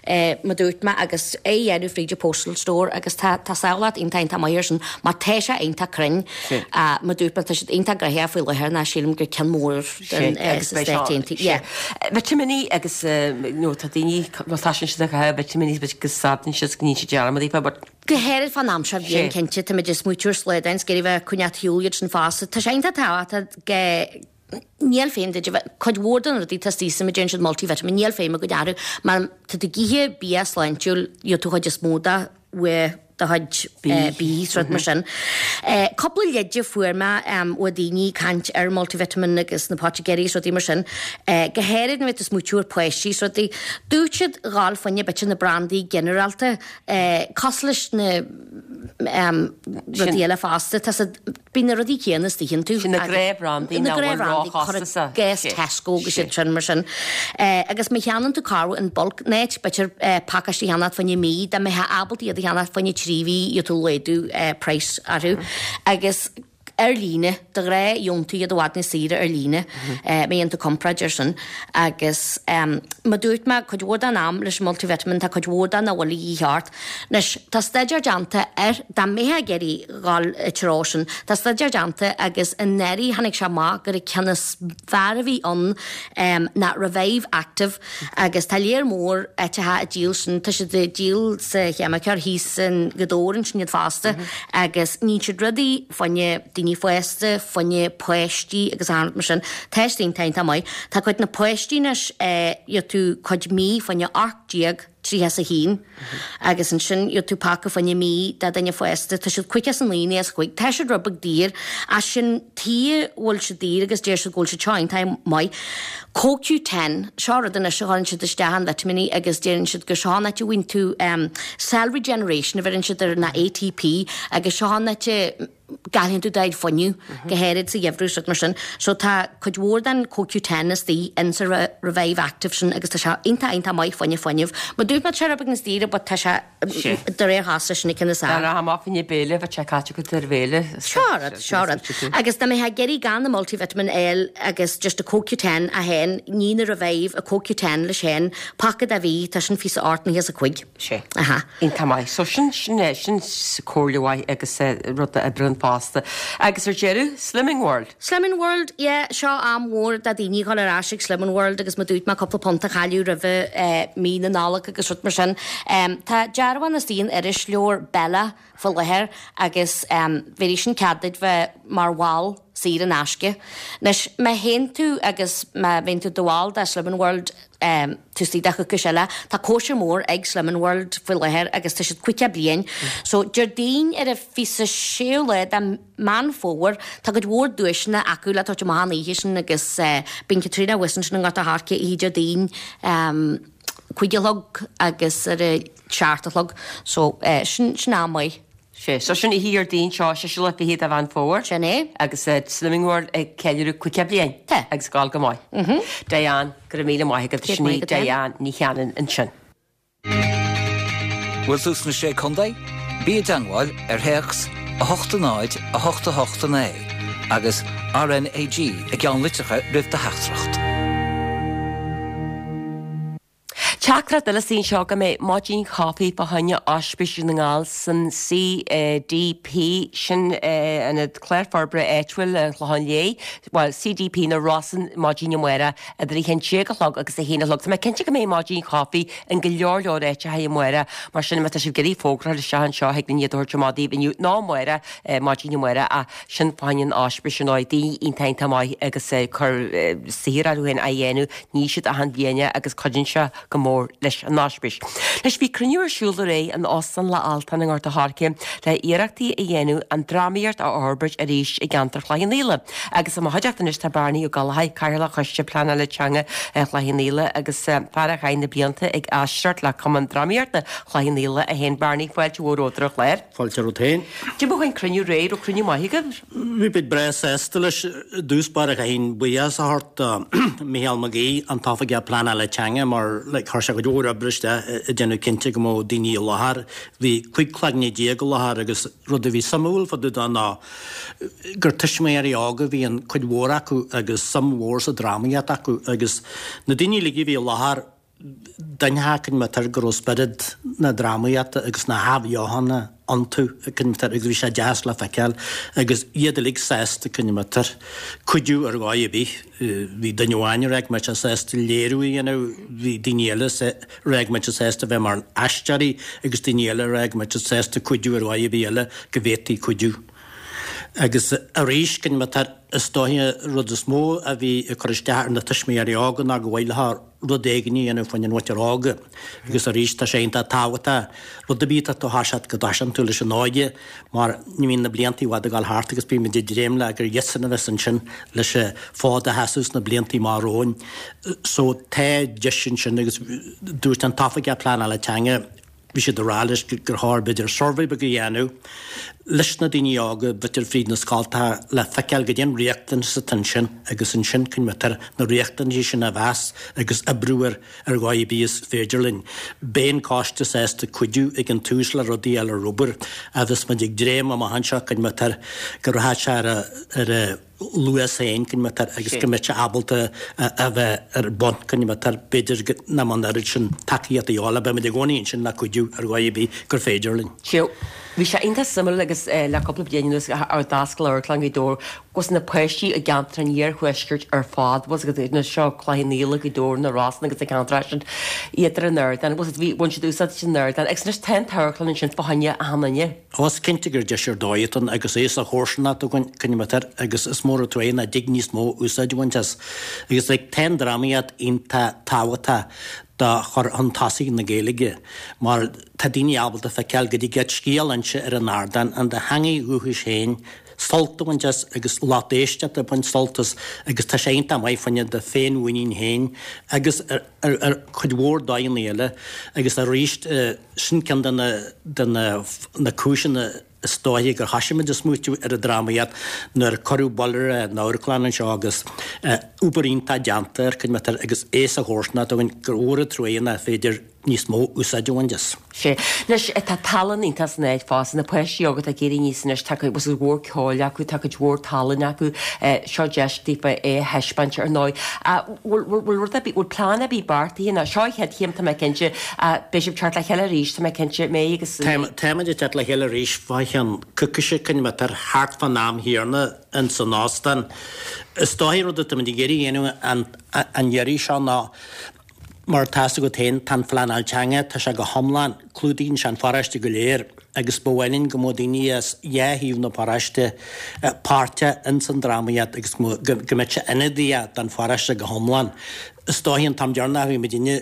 G: eh, mar dúirt mé agus é dhéanamh fríd an postal store agus tá tá samhlacht iontach iontach maith air sin mar tá sé iontach cruinn
A: Sí.
G: uh, mar dúirt mé tá siad iontach gnoitheach faoi láthair ná sílim gur ceann mór den eh,
A: agus
G: sa
A: beidh seo-
G: Stáit Aontaithe.
A: sé.
G: Yeah.
A: Vitimíní agus eh, nó tá daoine bhuel tá sin siad a vitimíní agus sábhann siad go níonn siad dearmad daofa, but
G: Go háirithe fán am seo bhíonn
A: Sé.
G: cinnte tá muid ag smaoitiú ar slaghdán 's ag iarraidh bheith coinneáil shiúil iad sin fosta. Tá sé iontach tábhachtach go níl feidhm duit a bheith cuid mhór den rudaí tá istigh mar deireann siad multivitamin níl feidhm acu orthu mar tá tú ag ithe bia sláintiúil gheobhaidh tú chuid is mó de uaidh do chuid
A: Bia.
G: bia rud mar sin. Eh, Cúpla leide fuair mé um, ó daoine caint ar multivitamin agus na poitigéirí is rudaí mar sin. Eh, go háirithe nuair atá smaoitiú ar páistí is rudaí. Dúirt siad dhul fá choinne b'fhéidir na brandaí ginearálta eh, cosúil leis na um, rudaí eile fosta. Tá siad- bíonn na rudaí céanna istigh iontu.
A: Sin na
G: agus-
A: gnáthbhrandaí
G: na
A: nach bhfuil
G: gnáthbhrandaí,
A: róchostasach.
G: Gas
A: Sé.
G: Tesco agus
A: Sé.
G: siad sin mar sin. Eh, agus má cheannaíonn tú corruair in bulk net b'fhéidir eh, pacáistí cheannacht fá choinne mí, dá mbeifeá ábalta iad a cheannacht fá choinne trí dtrí mhí gheobhaidh tú laghdú praghas orthu agus ar líne, de ghnáth gheobhann tú iad i bhfad níos saoire ar líne má dhéanann tú comparáid ar sin agus mar dúirt mé cuid mhór den am leis an multivitamin tá cuid mhór de nach bhfuil a dhíth ort. Anois tá staidéar déanta air, dá mbeifeá ag iarraidh dhul i treo sin, tá staidéar déanta agus anuraidh tháinig sé amach gur an ceann is fearr a bhí ann ná Revive Active agus tá léar mór áiteacha ag díol sin, tá siad ag díol sa cheimiceoir thíos in Gaoth Dobhair ansin iad fosta agus níonn siad rudaí fá choinne daoine fásta, fá choinne páistí agus achan rud mar sin. Tá siad iontach iontach maith. Tá cuid na páistí anois gheobhaidh tú cuid mí fá choinne ocht déag tríocha is a haon agus ansin gheobhaidh tú paca fá choinne mí do duine fásta. Tá siad caoga is a naoi is cúig. Tá siad rud beag daor ach sin tuige a bhfuil siad daor agus deir siad go bhfuil siad seo iontach maith. CoQ ten, seo rud anois a chuireann siad isteach in vitimíní agus deireann siad gur seo an áit a bhfaigheann tú cell regeneration a bheireann siad air ná ATP agus seo an áit a gcailleann tú do chuid fuinneamh, go háirid sa gheimhreadh is rud mar sin. So tá cuid mhór den CoQ ten istigh in sa Revive Active sin agus tá sé iontach iontach maith fá choinne fuinneamh. Mar dúirt mé tá sé rud beag níos daoire but tá sé de réir chás sin na cinn is
A: fearr. Tá amach fá choinne béile, bheadh sé caite agat ar bhéile.
G: Seo rud, seo rud. Agus dá mbeifeá ag iarraidh gan na multivitamin a fháil agus just a CoQ ten é féin, ní na Revive, a CoQ ten leis féin, paca de mhí, tá sin phíosa ocht nócha is a cúig.
A: Sé.
G: Aha.
A: Iontach maith. So sin, sin é, sin comhairle mhaith agus rud a oibríonn fosta. Agus ar deireadh, Slimming World.
G: Slimming World, yeah, seo am mhór do daoine dhul ar ais ag Slimming World agus mar dúirt mé cúpla punt a chailleadh roimhe mí na Nollag agus rud mar sin. Tá dearbhán istigh in irisleabhar Bella faoi láthair agus bhéarfaidh sin cead duit bheith mar bhall saor in aisce. Anois, má théann tú agus má bhíonn tú i do bhall de Slimming World, taobh istigh de choicís eile, tá cóisir mór ag Slimming World faoi láthair agus tá siad caoga bliain. So, Déardaoin ar an fiche séú lá de Meán Fómhair, tá cuid mhór duaiseanna acu le tabhairt amach an oíche sin agus bíonn Caitríona thuas ansin i nGort a' Choirce oíche Déardaoin cúig a chlog agus ar a seacht a chlog. So, sin, sin am maith.
A: Sé, so sin oíche Dhéardaoin seo, séú lá fichead de Mheán Fómhair.
G: Sin é.
A: Agus Slimming World ag ceiliúradh caoga bliain.
G: Tá.
A: Agus ag gabháil go maith.
G: Mhm.
A: Diane, go raibh míle maith agat. Sin í Diane Ní Chanainn ansin.
C: Bhfuil tú sna Sé Contae? Bí i dteangmháil ar théacs a hocht a náid a hocht a hocht a naoi agus RnaG i gceannlitreacha roimh do theachtaireacht.
A: Teachtaireacht eile istigh anseo go mbeidh maidin chaife fá choinne Ospís Dhún na nGall san CDP, sin Ionad Clár Forbartha Áitiúil an Chlocháin Léith, bhuel CDP na Rosann maidin amárach idir a haon déag a chlog agus a haon a chlog. Tá mé cinnte go mbeidh maidin chaife in go leor leor áiteacha amárach, mar sin má tá sibh ag iarraidh fógra a chur isteach anseo thig linn iad a thabhairt amach daoibh inniu nó amárach, maidin amárach ach sin fá choinne an Ospís ar ndóigh, daoine iontach iontach maith agus cur saothar orthu féin á dhéanamh, ní siad achan bhliain agus cuidíonn sé go mór leis an Ospís. Anois bhí cruinniú ar siúl aréir in Óstán Loch Altan i nGort a' Choirce le iarrachtaí a dhéanamh an drámaíocht a fhorbairt arís i gceantar Chloich Cheann Fhaola. Agus i mo chuideachta anois tá Bearnaí Ó Gallchóir, Cathaoirleach Choiste Pleanála Teanga Chloich Cheann Fhaola agus fear a chaith na blianta ag aisteoireacht le Cumann Drámaíochta Chloich Cheann Fhaola é féin. Bearnaí, fáilte mhór romhat ar an chlár.
H: Fáilte romhat féin.
A: Cad é faoin cruinniú aréir, raibh cruinniú maith agaibh?
H: Bhí muid breá sásta leis. I dtús báire chaithfinn buíochas a thabhairt do Mhícheál Mac Aoidh, an tOifigeach Pleanála Teanga, mar like chuir sé cuid mhór oibre isteach ag déanamh cinnte go mbeadh daoine i láthair. Bhí cúig cloigne déag i láthair agus rud a bhí suimiúil fá dtaobh de ná gur tuismitheoirí óga a bhí an cuid mhór acu agus suim mhór sa drámaíocht acu agus na daoine uilig a bhí i láthair, D'inseofá cad é mar go raibh spiorad na drámaíochta agus na hathbheochana iontu agus bhí sé deas le feiceáil agus iad uilig sásta cad é mar cuidiú ar dhóigh ar bith. Bhí duine amháin a rá go mbeadh sé sásta léiriú a dhéanamh, bhí daoine eile a rá go mbeadh siad sásta bheith mar aisteoirí agus daoine eile a rá go mbeadh siad sásta cuidiú ar dhóigh ar bith eile go bhféadfaí cuidiú. Agus arís, cad é mar is dóiche an rud is mó a bhí ag cur isteach ar na tuismitheoirí óga ná go mhaith leo rud éigin a dhéanamh fá choinne an mhuintir óga. Agus arís, tá sé iontach tábhachtach rud ar bith atá tú a thoiseacht go dtoiseann tú leis an óige mar ní bhíonn na blianta i bhfad ag dul thart agus bímid ag dréim le gur iadsan a bheas ansin leis an fód a sheasamh sna blianta amach romhainn. So tá deis ansin agus dúirt an tOifigeach Pleanála Teanga, bhí siad ag rá leis gur chóir b'fhéidir suirbhé beag a dhéanamh leis na daoine óga b'fhéidir fríd na scoltacha le feiceáil goidé an riachtanas atá ansin agus ansin coinnítear na riachtanaisí sin a mheas agus oibriú ar ar dhóigh ar bith is féidir linn. Beidh an coiste sásta cuidiú ag an tús le rudaí eile ar obair agus muid ag dréim amach anseo coinnítear go rachaidh sé ar a ar a luas féin coinnítear agus go mbeidh sé ábalta a bheith ar bun coinnítear b'fhéidir go nach mbeadh an oiread sin tacaíocht a dhíobháil ach beimid i gcónaí ansin le cuidiú ar dhóigh ar bith gur féidir linn.
A: Sea, bhí sé iontach suimiúil agus le cúpla bliain anuas ar d'oscail Amharclann Ghaoth Dobhair agus na páistí i gceantar an iarthuaiscirt ar fad, bhfuil a fhios agat, na seo Cloich Cheann Fhaola, Gaoth Dobhair, na Rosann agus na ceantair sin, iad ar an ardán, bhfuil a fhios agat, bhí, bhain siad úsáid as an ardán agus anois tá an t-amharclann ansin fá choinne achan duine.
H: Ó, is cinnte gur deis ar dóigh atá ann agus é sa chomharsanacht againn, coinnítear agus is mór an truaighe nach dtig níos mó úsáid a bhaint as. Agus like, tá an drámaíocht iontach tábhachtach do chur chun tosaigh na Gaeilge mar tá daoine ábalta feiceáil go dtig leat scéal a inse ar an ardán in do theangaidh dhúchais féin, sult a bhaint as agus lucht éisteachta ag baint sult as agus tá sé iontach maith fá choinne do féinmhuinín féin agus ar ar chuid mhór dóigheanna eile agus arís sin ceann de na de na na cúiseanna is dóiche gur thoisigh muid ag smaoitiú ar an drámaíocht nuair a cuireadh buille ar an amharclann anseo agus obair iontach déanta air, coinnítear agus é sa chomharsanacht againn gur mhór an truaighe nach féidir níos mó úsáid a bhaint as.
A: Sea. Anois, tá tallann iontach san áit fosta, na páistí óga atá ag éirí aníos anois, tá cuid mhór ceoil acu, tá cuid mhór tallann acu, seo deis daofa é a thaispeáint ar ndóigh. Bhfuil, bhfuil rud ar bith, bhfuil plean ar bith beartaithe ná, seo an chéad chéim, tá mé cinnte, beidh sibh ag teacht le chéile arís, tá mé cinnte, mé agus.
H: Táimid ag teacht le chéile arís fá cheann coicíse, coinnítear thart fán am chéanna ins an óstán. Is dóiche rud atáimid ag iarraidh a dhéanamh an iarraidh seo ná, Mar atá fhios agat féin, tá an phleanáil teanga, tá sé go hiomlán, clúdaíonn sé an pharóiste go léir agus ba mhaith linn go mbeadh daoine as dhá thaobh na paróiste páirteach ins an drámaíocht agus go mbeadh sé ionadaíoch don pharóiste go hiomlán. Is dóichí an t-am deireanach a bhí muidinne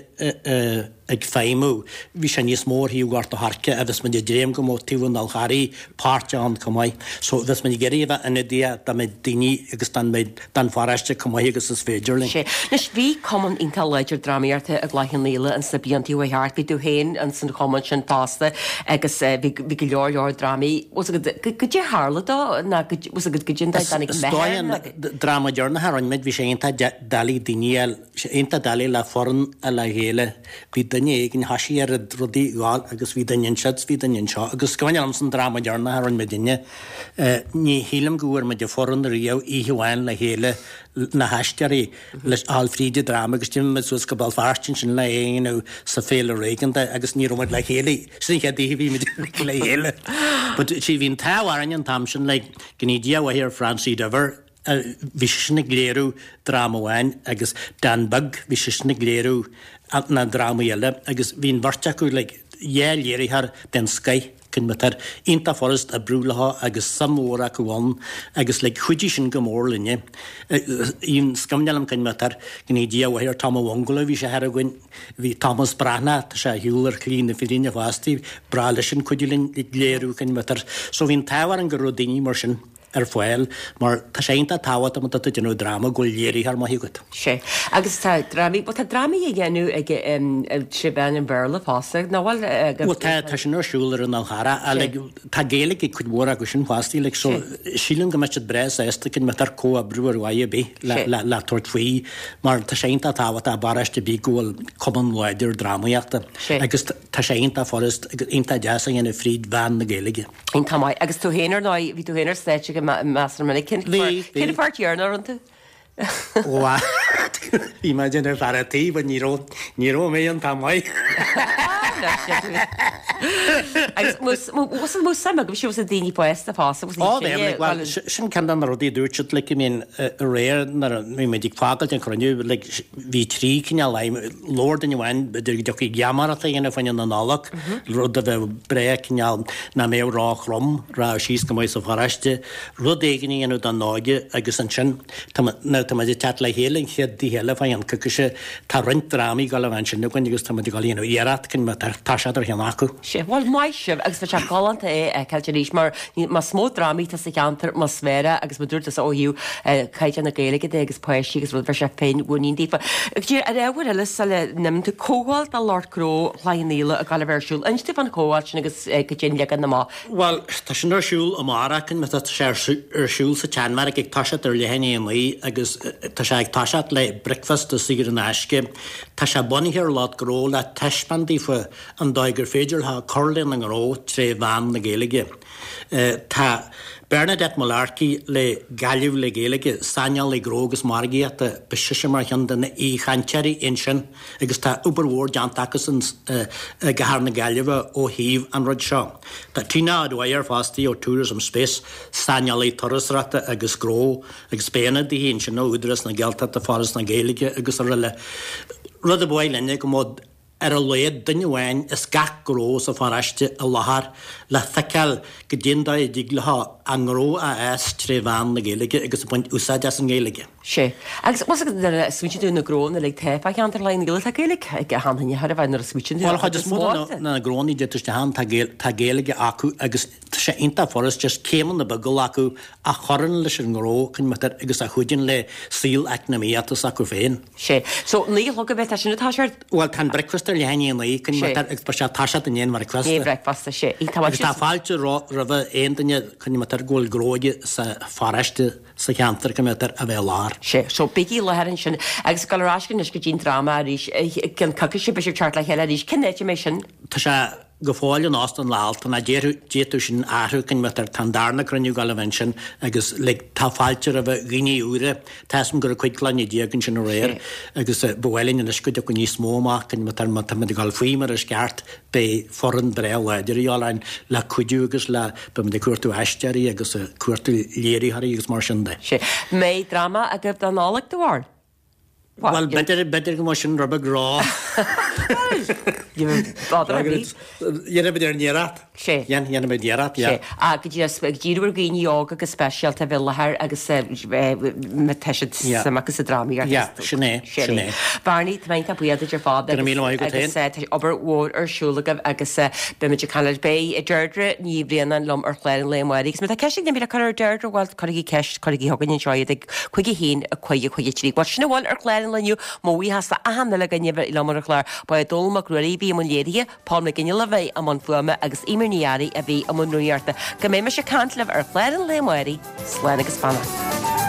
H: ag feidhmiú, bhí sé níos mó ar thaobh Ghort a' Choirce agus muid ag dréim go mbeadh taobh an Fhál Charraigh páirteach ann chomh maith. So bheas muid ag iarraidh a bheith ionadaíoch dá méid daoine agus dá méid den pharóiste chomh maith agus is féidir linn.
A: Sea. Anois, bhí cumann iontach láidir drámaíochta i gCloich Cheann Fhaola ins na blianta a chuaigh thart. Bhí tú féin ins an chumann sin fosta agus bhí bhí go leor leor drámaí. Bhfuil 's agat, goidé a tharla dó ná go, bhfuil 's agat goidé an dóigh a dtáinig
H: Is
A: meath
H: dóigh
A: air
H: an
A: ná.
H: dráma deireanach a rinne muid, bhí sé iontach doiligh daoine a fháil, sé iontach doiligh le foireann a fháil le chéile. Bhí duine éigin, thoisigh ar rudaí a ghabháil agus bhí duine ansiúd 's bhí duine anseo agus is cuimhin liomsa an dráma deireanach a rinne muidinne, ní shílim go bhfuair muid an foireann riamh oíche amháin le chéile, na haisteoirí, le dhul fríd an dráma agus d'imigh muid suas go Béal Feirste ansin le é a dhéanamh sa Féile Réigiúnda agus ní raibh muid le chéile, sin an chéad oíche a bhí muid le chéile. But see bhí an t-ádh orainn an t-am sin like go ndéana Dia a mhaith ar Francie Diver, bhí seisean ag léiriú dráma amháin agus Dan Beag, bhí seisean ag léiriú na drámaí eile agus bhí an bheirt acu like dhá léiritheoir den scoith, coinnítear iontach furast oibriú leo agus suim mhór acu ann agus like chuidigh sin go mór linne. Is cuimhin liom coinnítear go ndéana Dia a mhaith ar Tom a' Bhungalow, bhí sé thar againn, bhí Thomas Breathnach, tá sé ar shiúl ar shlí na fírinne fosta, b'bhreá leisean cuidiú linn ag léiriú coinnítear. So bhí an t-ádh orainn go raibh daoine mar sin. ar fáil mar tá sé iontach tábhachtach má tá tú ag déanamh dráma go bhfuil léiritheoir maith agat.
A: Sea. Agus tá drámaí, bhuel tá drámaí á dhéanamh ag trí mheán an Bhéarla fosta, nach bhfuil?
H: Bhuel tá, tá sin ar siúl ar an Fhál Charrach ach like tá Gaeilge ag cuid mhór acu sin fosta like so sílim go mbeidh siad breá sásta go mbeadh comhoibriú ar mhaith ar bith le le le tabhairt faoi mar tá sé iontach tábhachtach i bparóiste ar bith go bhfuil cumann láidir drámaíochta agus tá sé iontach furast agus iontach deas a dhéanamh fríd mheán na Gaeilge.
A: Iontach maith. Agus tú féin ar ndóigh, bhí tú féin ar stáitse go measartha minic. Cén
H: Bhí, bhí.
A: cén pháirt dheireanach a rinne tú?
H: Bhuel, bhí mé ag déanamh fear a' tí, but ní raibh, ní raibh mé iontach maith.
A: Agus bhfuil suim agaibhse sna daoine fásta fosta, bhfuil
H: Ó, bhí, like, well, sin ceann de na rudaí a dúirt siad, like, I mean, aréir nuair a bhí muid ag fágáilt an chruinniú, like, bhí trí cineál aidhm, labhair duine amháin, b'fhéidir go dtiocfaí geamaireacht a dhéanamh fá choinne na Nollag, rud a bheadh breá cineál nach mbeadh ró-throm, rachadh síos go maith sa pharóiste, rud éigin a dhéanamh don óige agus ansin tá tá muid ag teacht le chéile an chéad oíche eile fá cheann coicíse. Tá roinnt drámaí ag dul a bheith ansin againn agus tá muid ag dul a dhéanamh iarracht chun toiseacht ar cheann acu.
A: Sea, bhuel, maith sibh agus bheadh sé galánta é a fheiceáilt arís mar más mó drámaí atá sa cheantar, más fearr agus mar dúirt tusa ó thaobh caighdeán na Gaeilge de agus páistí agus rud, bheadh sé féin mhuinín daofa. Agus ar ábhar eile sula n-imíonn tú, comhdháil do lucht gnó Chloich Cheann Fhaola ag dul a bheith ar siúl. Inis dúinn fán chomhdháil sin agus cad é an leagan amach.
H: Bhuel, tá sin ar siúl amárach, tá sé ar siúl sa tSeanbheairic ag toiseacht ar leath i ndiaidh a naoi agus tá sé ag toiseacht le bricfeasta saor in aisce. Tá sé bunaithe ar lucht gnó le taispeáint daofa an dóigh gur féidir leo cur lena ngnó tré mheán na Gaeilge. Tá Bernadette Mullarkey le Gaillimh le Gaeilge, saineolaí gnó agus margaíochta, beidh sise mar cheann de na aoichainteoirí ansin agus tá obair mhór déanta acusan i gcathair na Gaillimhe ó thaobh an rud seo. Tá Tina O'Dwyer fostaí ó Tourism Space, saineolaí turasóireachta agus gnó agus beidh ionadaithe ansin ó Údarás na Gaeltachta, Foras na Gaeilge agus araile. Rud a ba mhaith linne go mbeadh ar a laghad duine amháin as gach gnó sa pharóiste i láthair le feiceáil goidé an dóigh a dtig leo a ngnó a fhás tré mheán na Gaeilge agus ag baint úsáid as an nGaeilge.
A: Sea. Agus bhfuil fhios agat nuair a smaoitíonn tú ar na gnónna uilig atá fá cheantar Chloich Cheann Fhaola, tá Gaeilge ag achan duine chóir a bheith nuair a smaoitíonn tú
H: Bhuel, chuid is mó de na gnónna a d'fhéadfadh isteach ann, tá Gaeilge acu agus tá sé iontach furast just céimeanna beaga a ghlacadh a chuireann leis an ngnó agus a chuidíonn le saol eacnamaíochta s'acu féin.
A: Sea. So, naoi a chlog a bheidh, tá sin atá sé ar.
H: Bhuel, tá an bricfeasta ar leath i ndiaidh a naoi, agus beidh sé ag toiseacht i ndiaidh an bhricfeasta.
A: I ndiaidh bricfeasta, sea.
H: Agus tá fáilte roimh aon duine go bhfuil gnó aige sa pharóiste, sa cheantar, go mbeadh a bheith i láthair.
A: Sea. So, bígí i láthair ansin. Agus ag dul ar ais anois go dtí an dráma arís, i gceann coicíse, beidh sibh ag teacht le chéile arís. Cén áit a mbeidh sin?
H: Tá sé. Go fóill in Óstán an Lathan, d'fhéadfadh sin athrú, tá an darna cruinniú ag dul a bheith ansin agus like tá fáilte roimh dhaoine úra, tá 'fhios a'm go raibh cúig clainne déag ansin aréir agus ba mhaith linn anois go dtiocfadh níos mó amach, má tá muid ag dul faoi mar is ceart, beidh foireann breá láidir a dhíobháil orainn le cuidiú agus le, beidh muid ag cuartú aisteoirí agus ag cuartú léiritheoirí agus mar sin de.
A: Sea. Mbeidh dráma agaibh don Nollaig dá bharr?
H: Bhuel, b'fhéidir, b'fhéidir go mbeadh sin rud beag ró. Dhéanfaidh muid ár n-iarracht.
A: Sea.
H: Dhéanfaidh muid iarracht, yeah.
A: Sea. Ach go díreach, ag díriú ar dhaoine óga go speisialta a bheith i láthair agus má tá siad suim acu sa drámaíocht.
H: Yeah, sin é, sin é.
A: Barney, tá mé iontach buíoch duit ar fad.
H: Go raibh míle maith agat féin.
A: Agus tá obair mhór ar siúl agaibh agus beidh muid ag caint leat. Beidh Deirdre Ní Bhraonáin liom ar chlár an lae amárach. Agus má tá ceist ag duine le cur ar Deirdre, bhuel, cuirigí ceist, cuirigí chugainn anseo iad ag cúig a haon, a cúig, a cúig a trí. Bhuel, sin a bhfuil ar chlár an lae inniu. Mo bhuíochas d'achan uile dhuine a bhí liom ar an chlár. Ba é Dónall Mac Ruairí a bhí i mbun léirithe, Paul McGinley a bhí i mbun fuaime agus Eimear Ní Fhearraigh a bhí i mbun rúnaíochta. Go mbeidh mise ag caint libh ar chlár an lae amárach. Slán agus beannacht.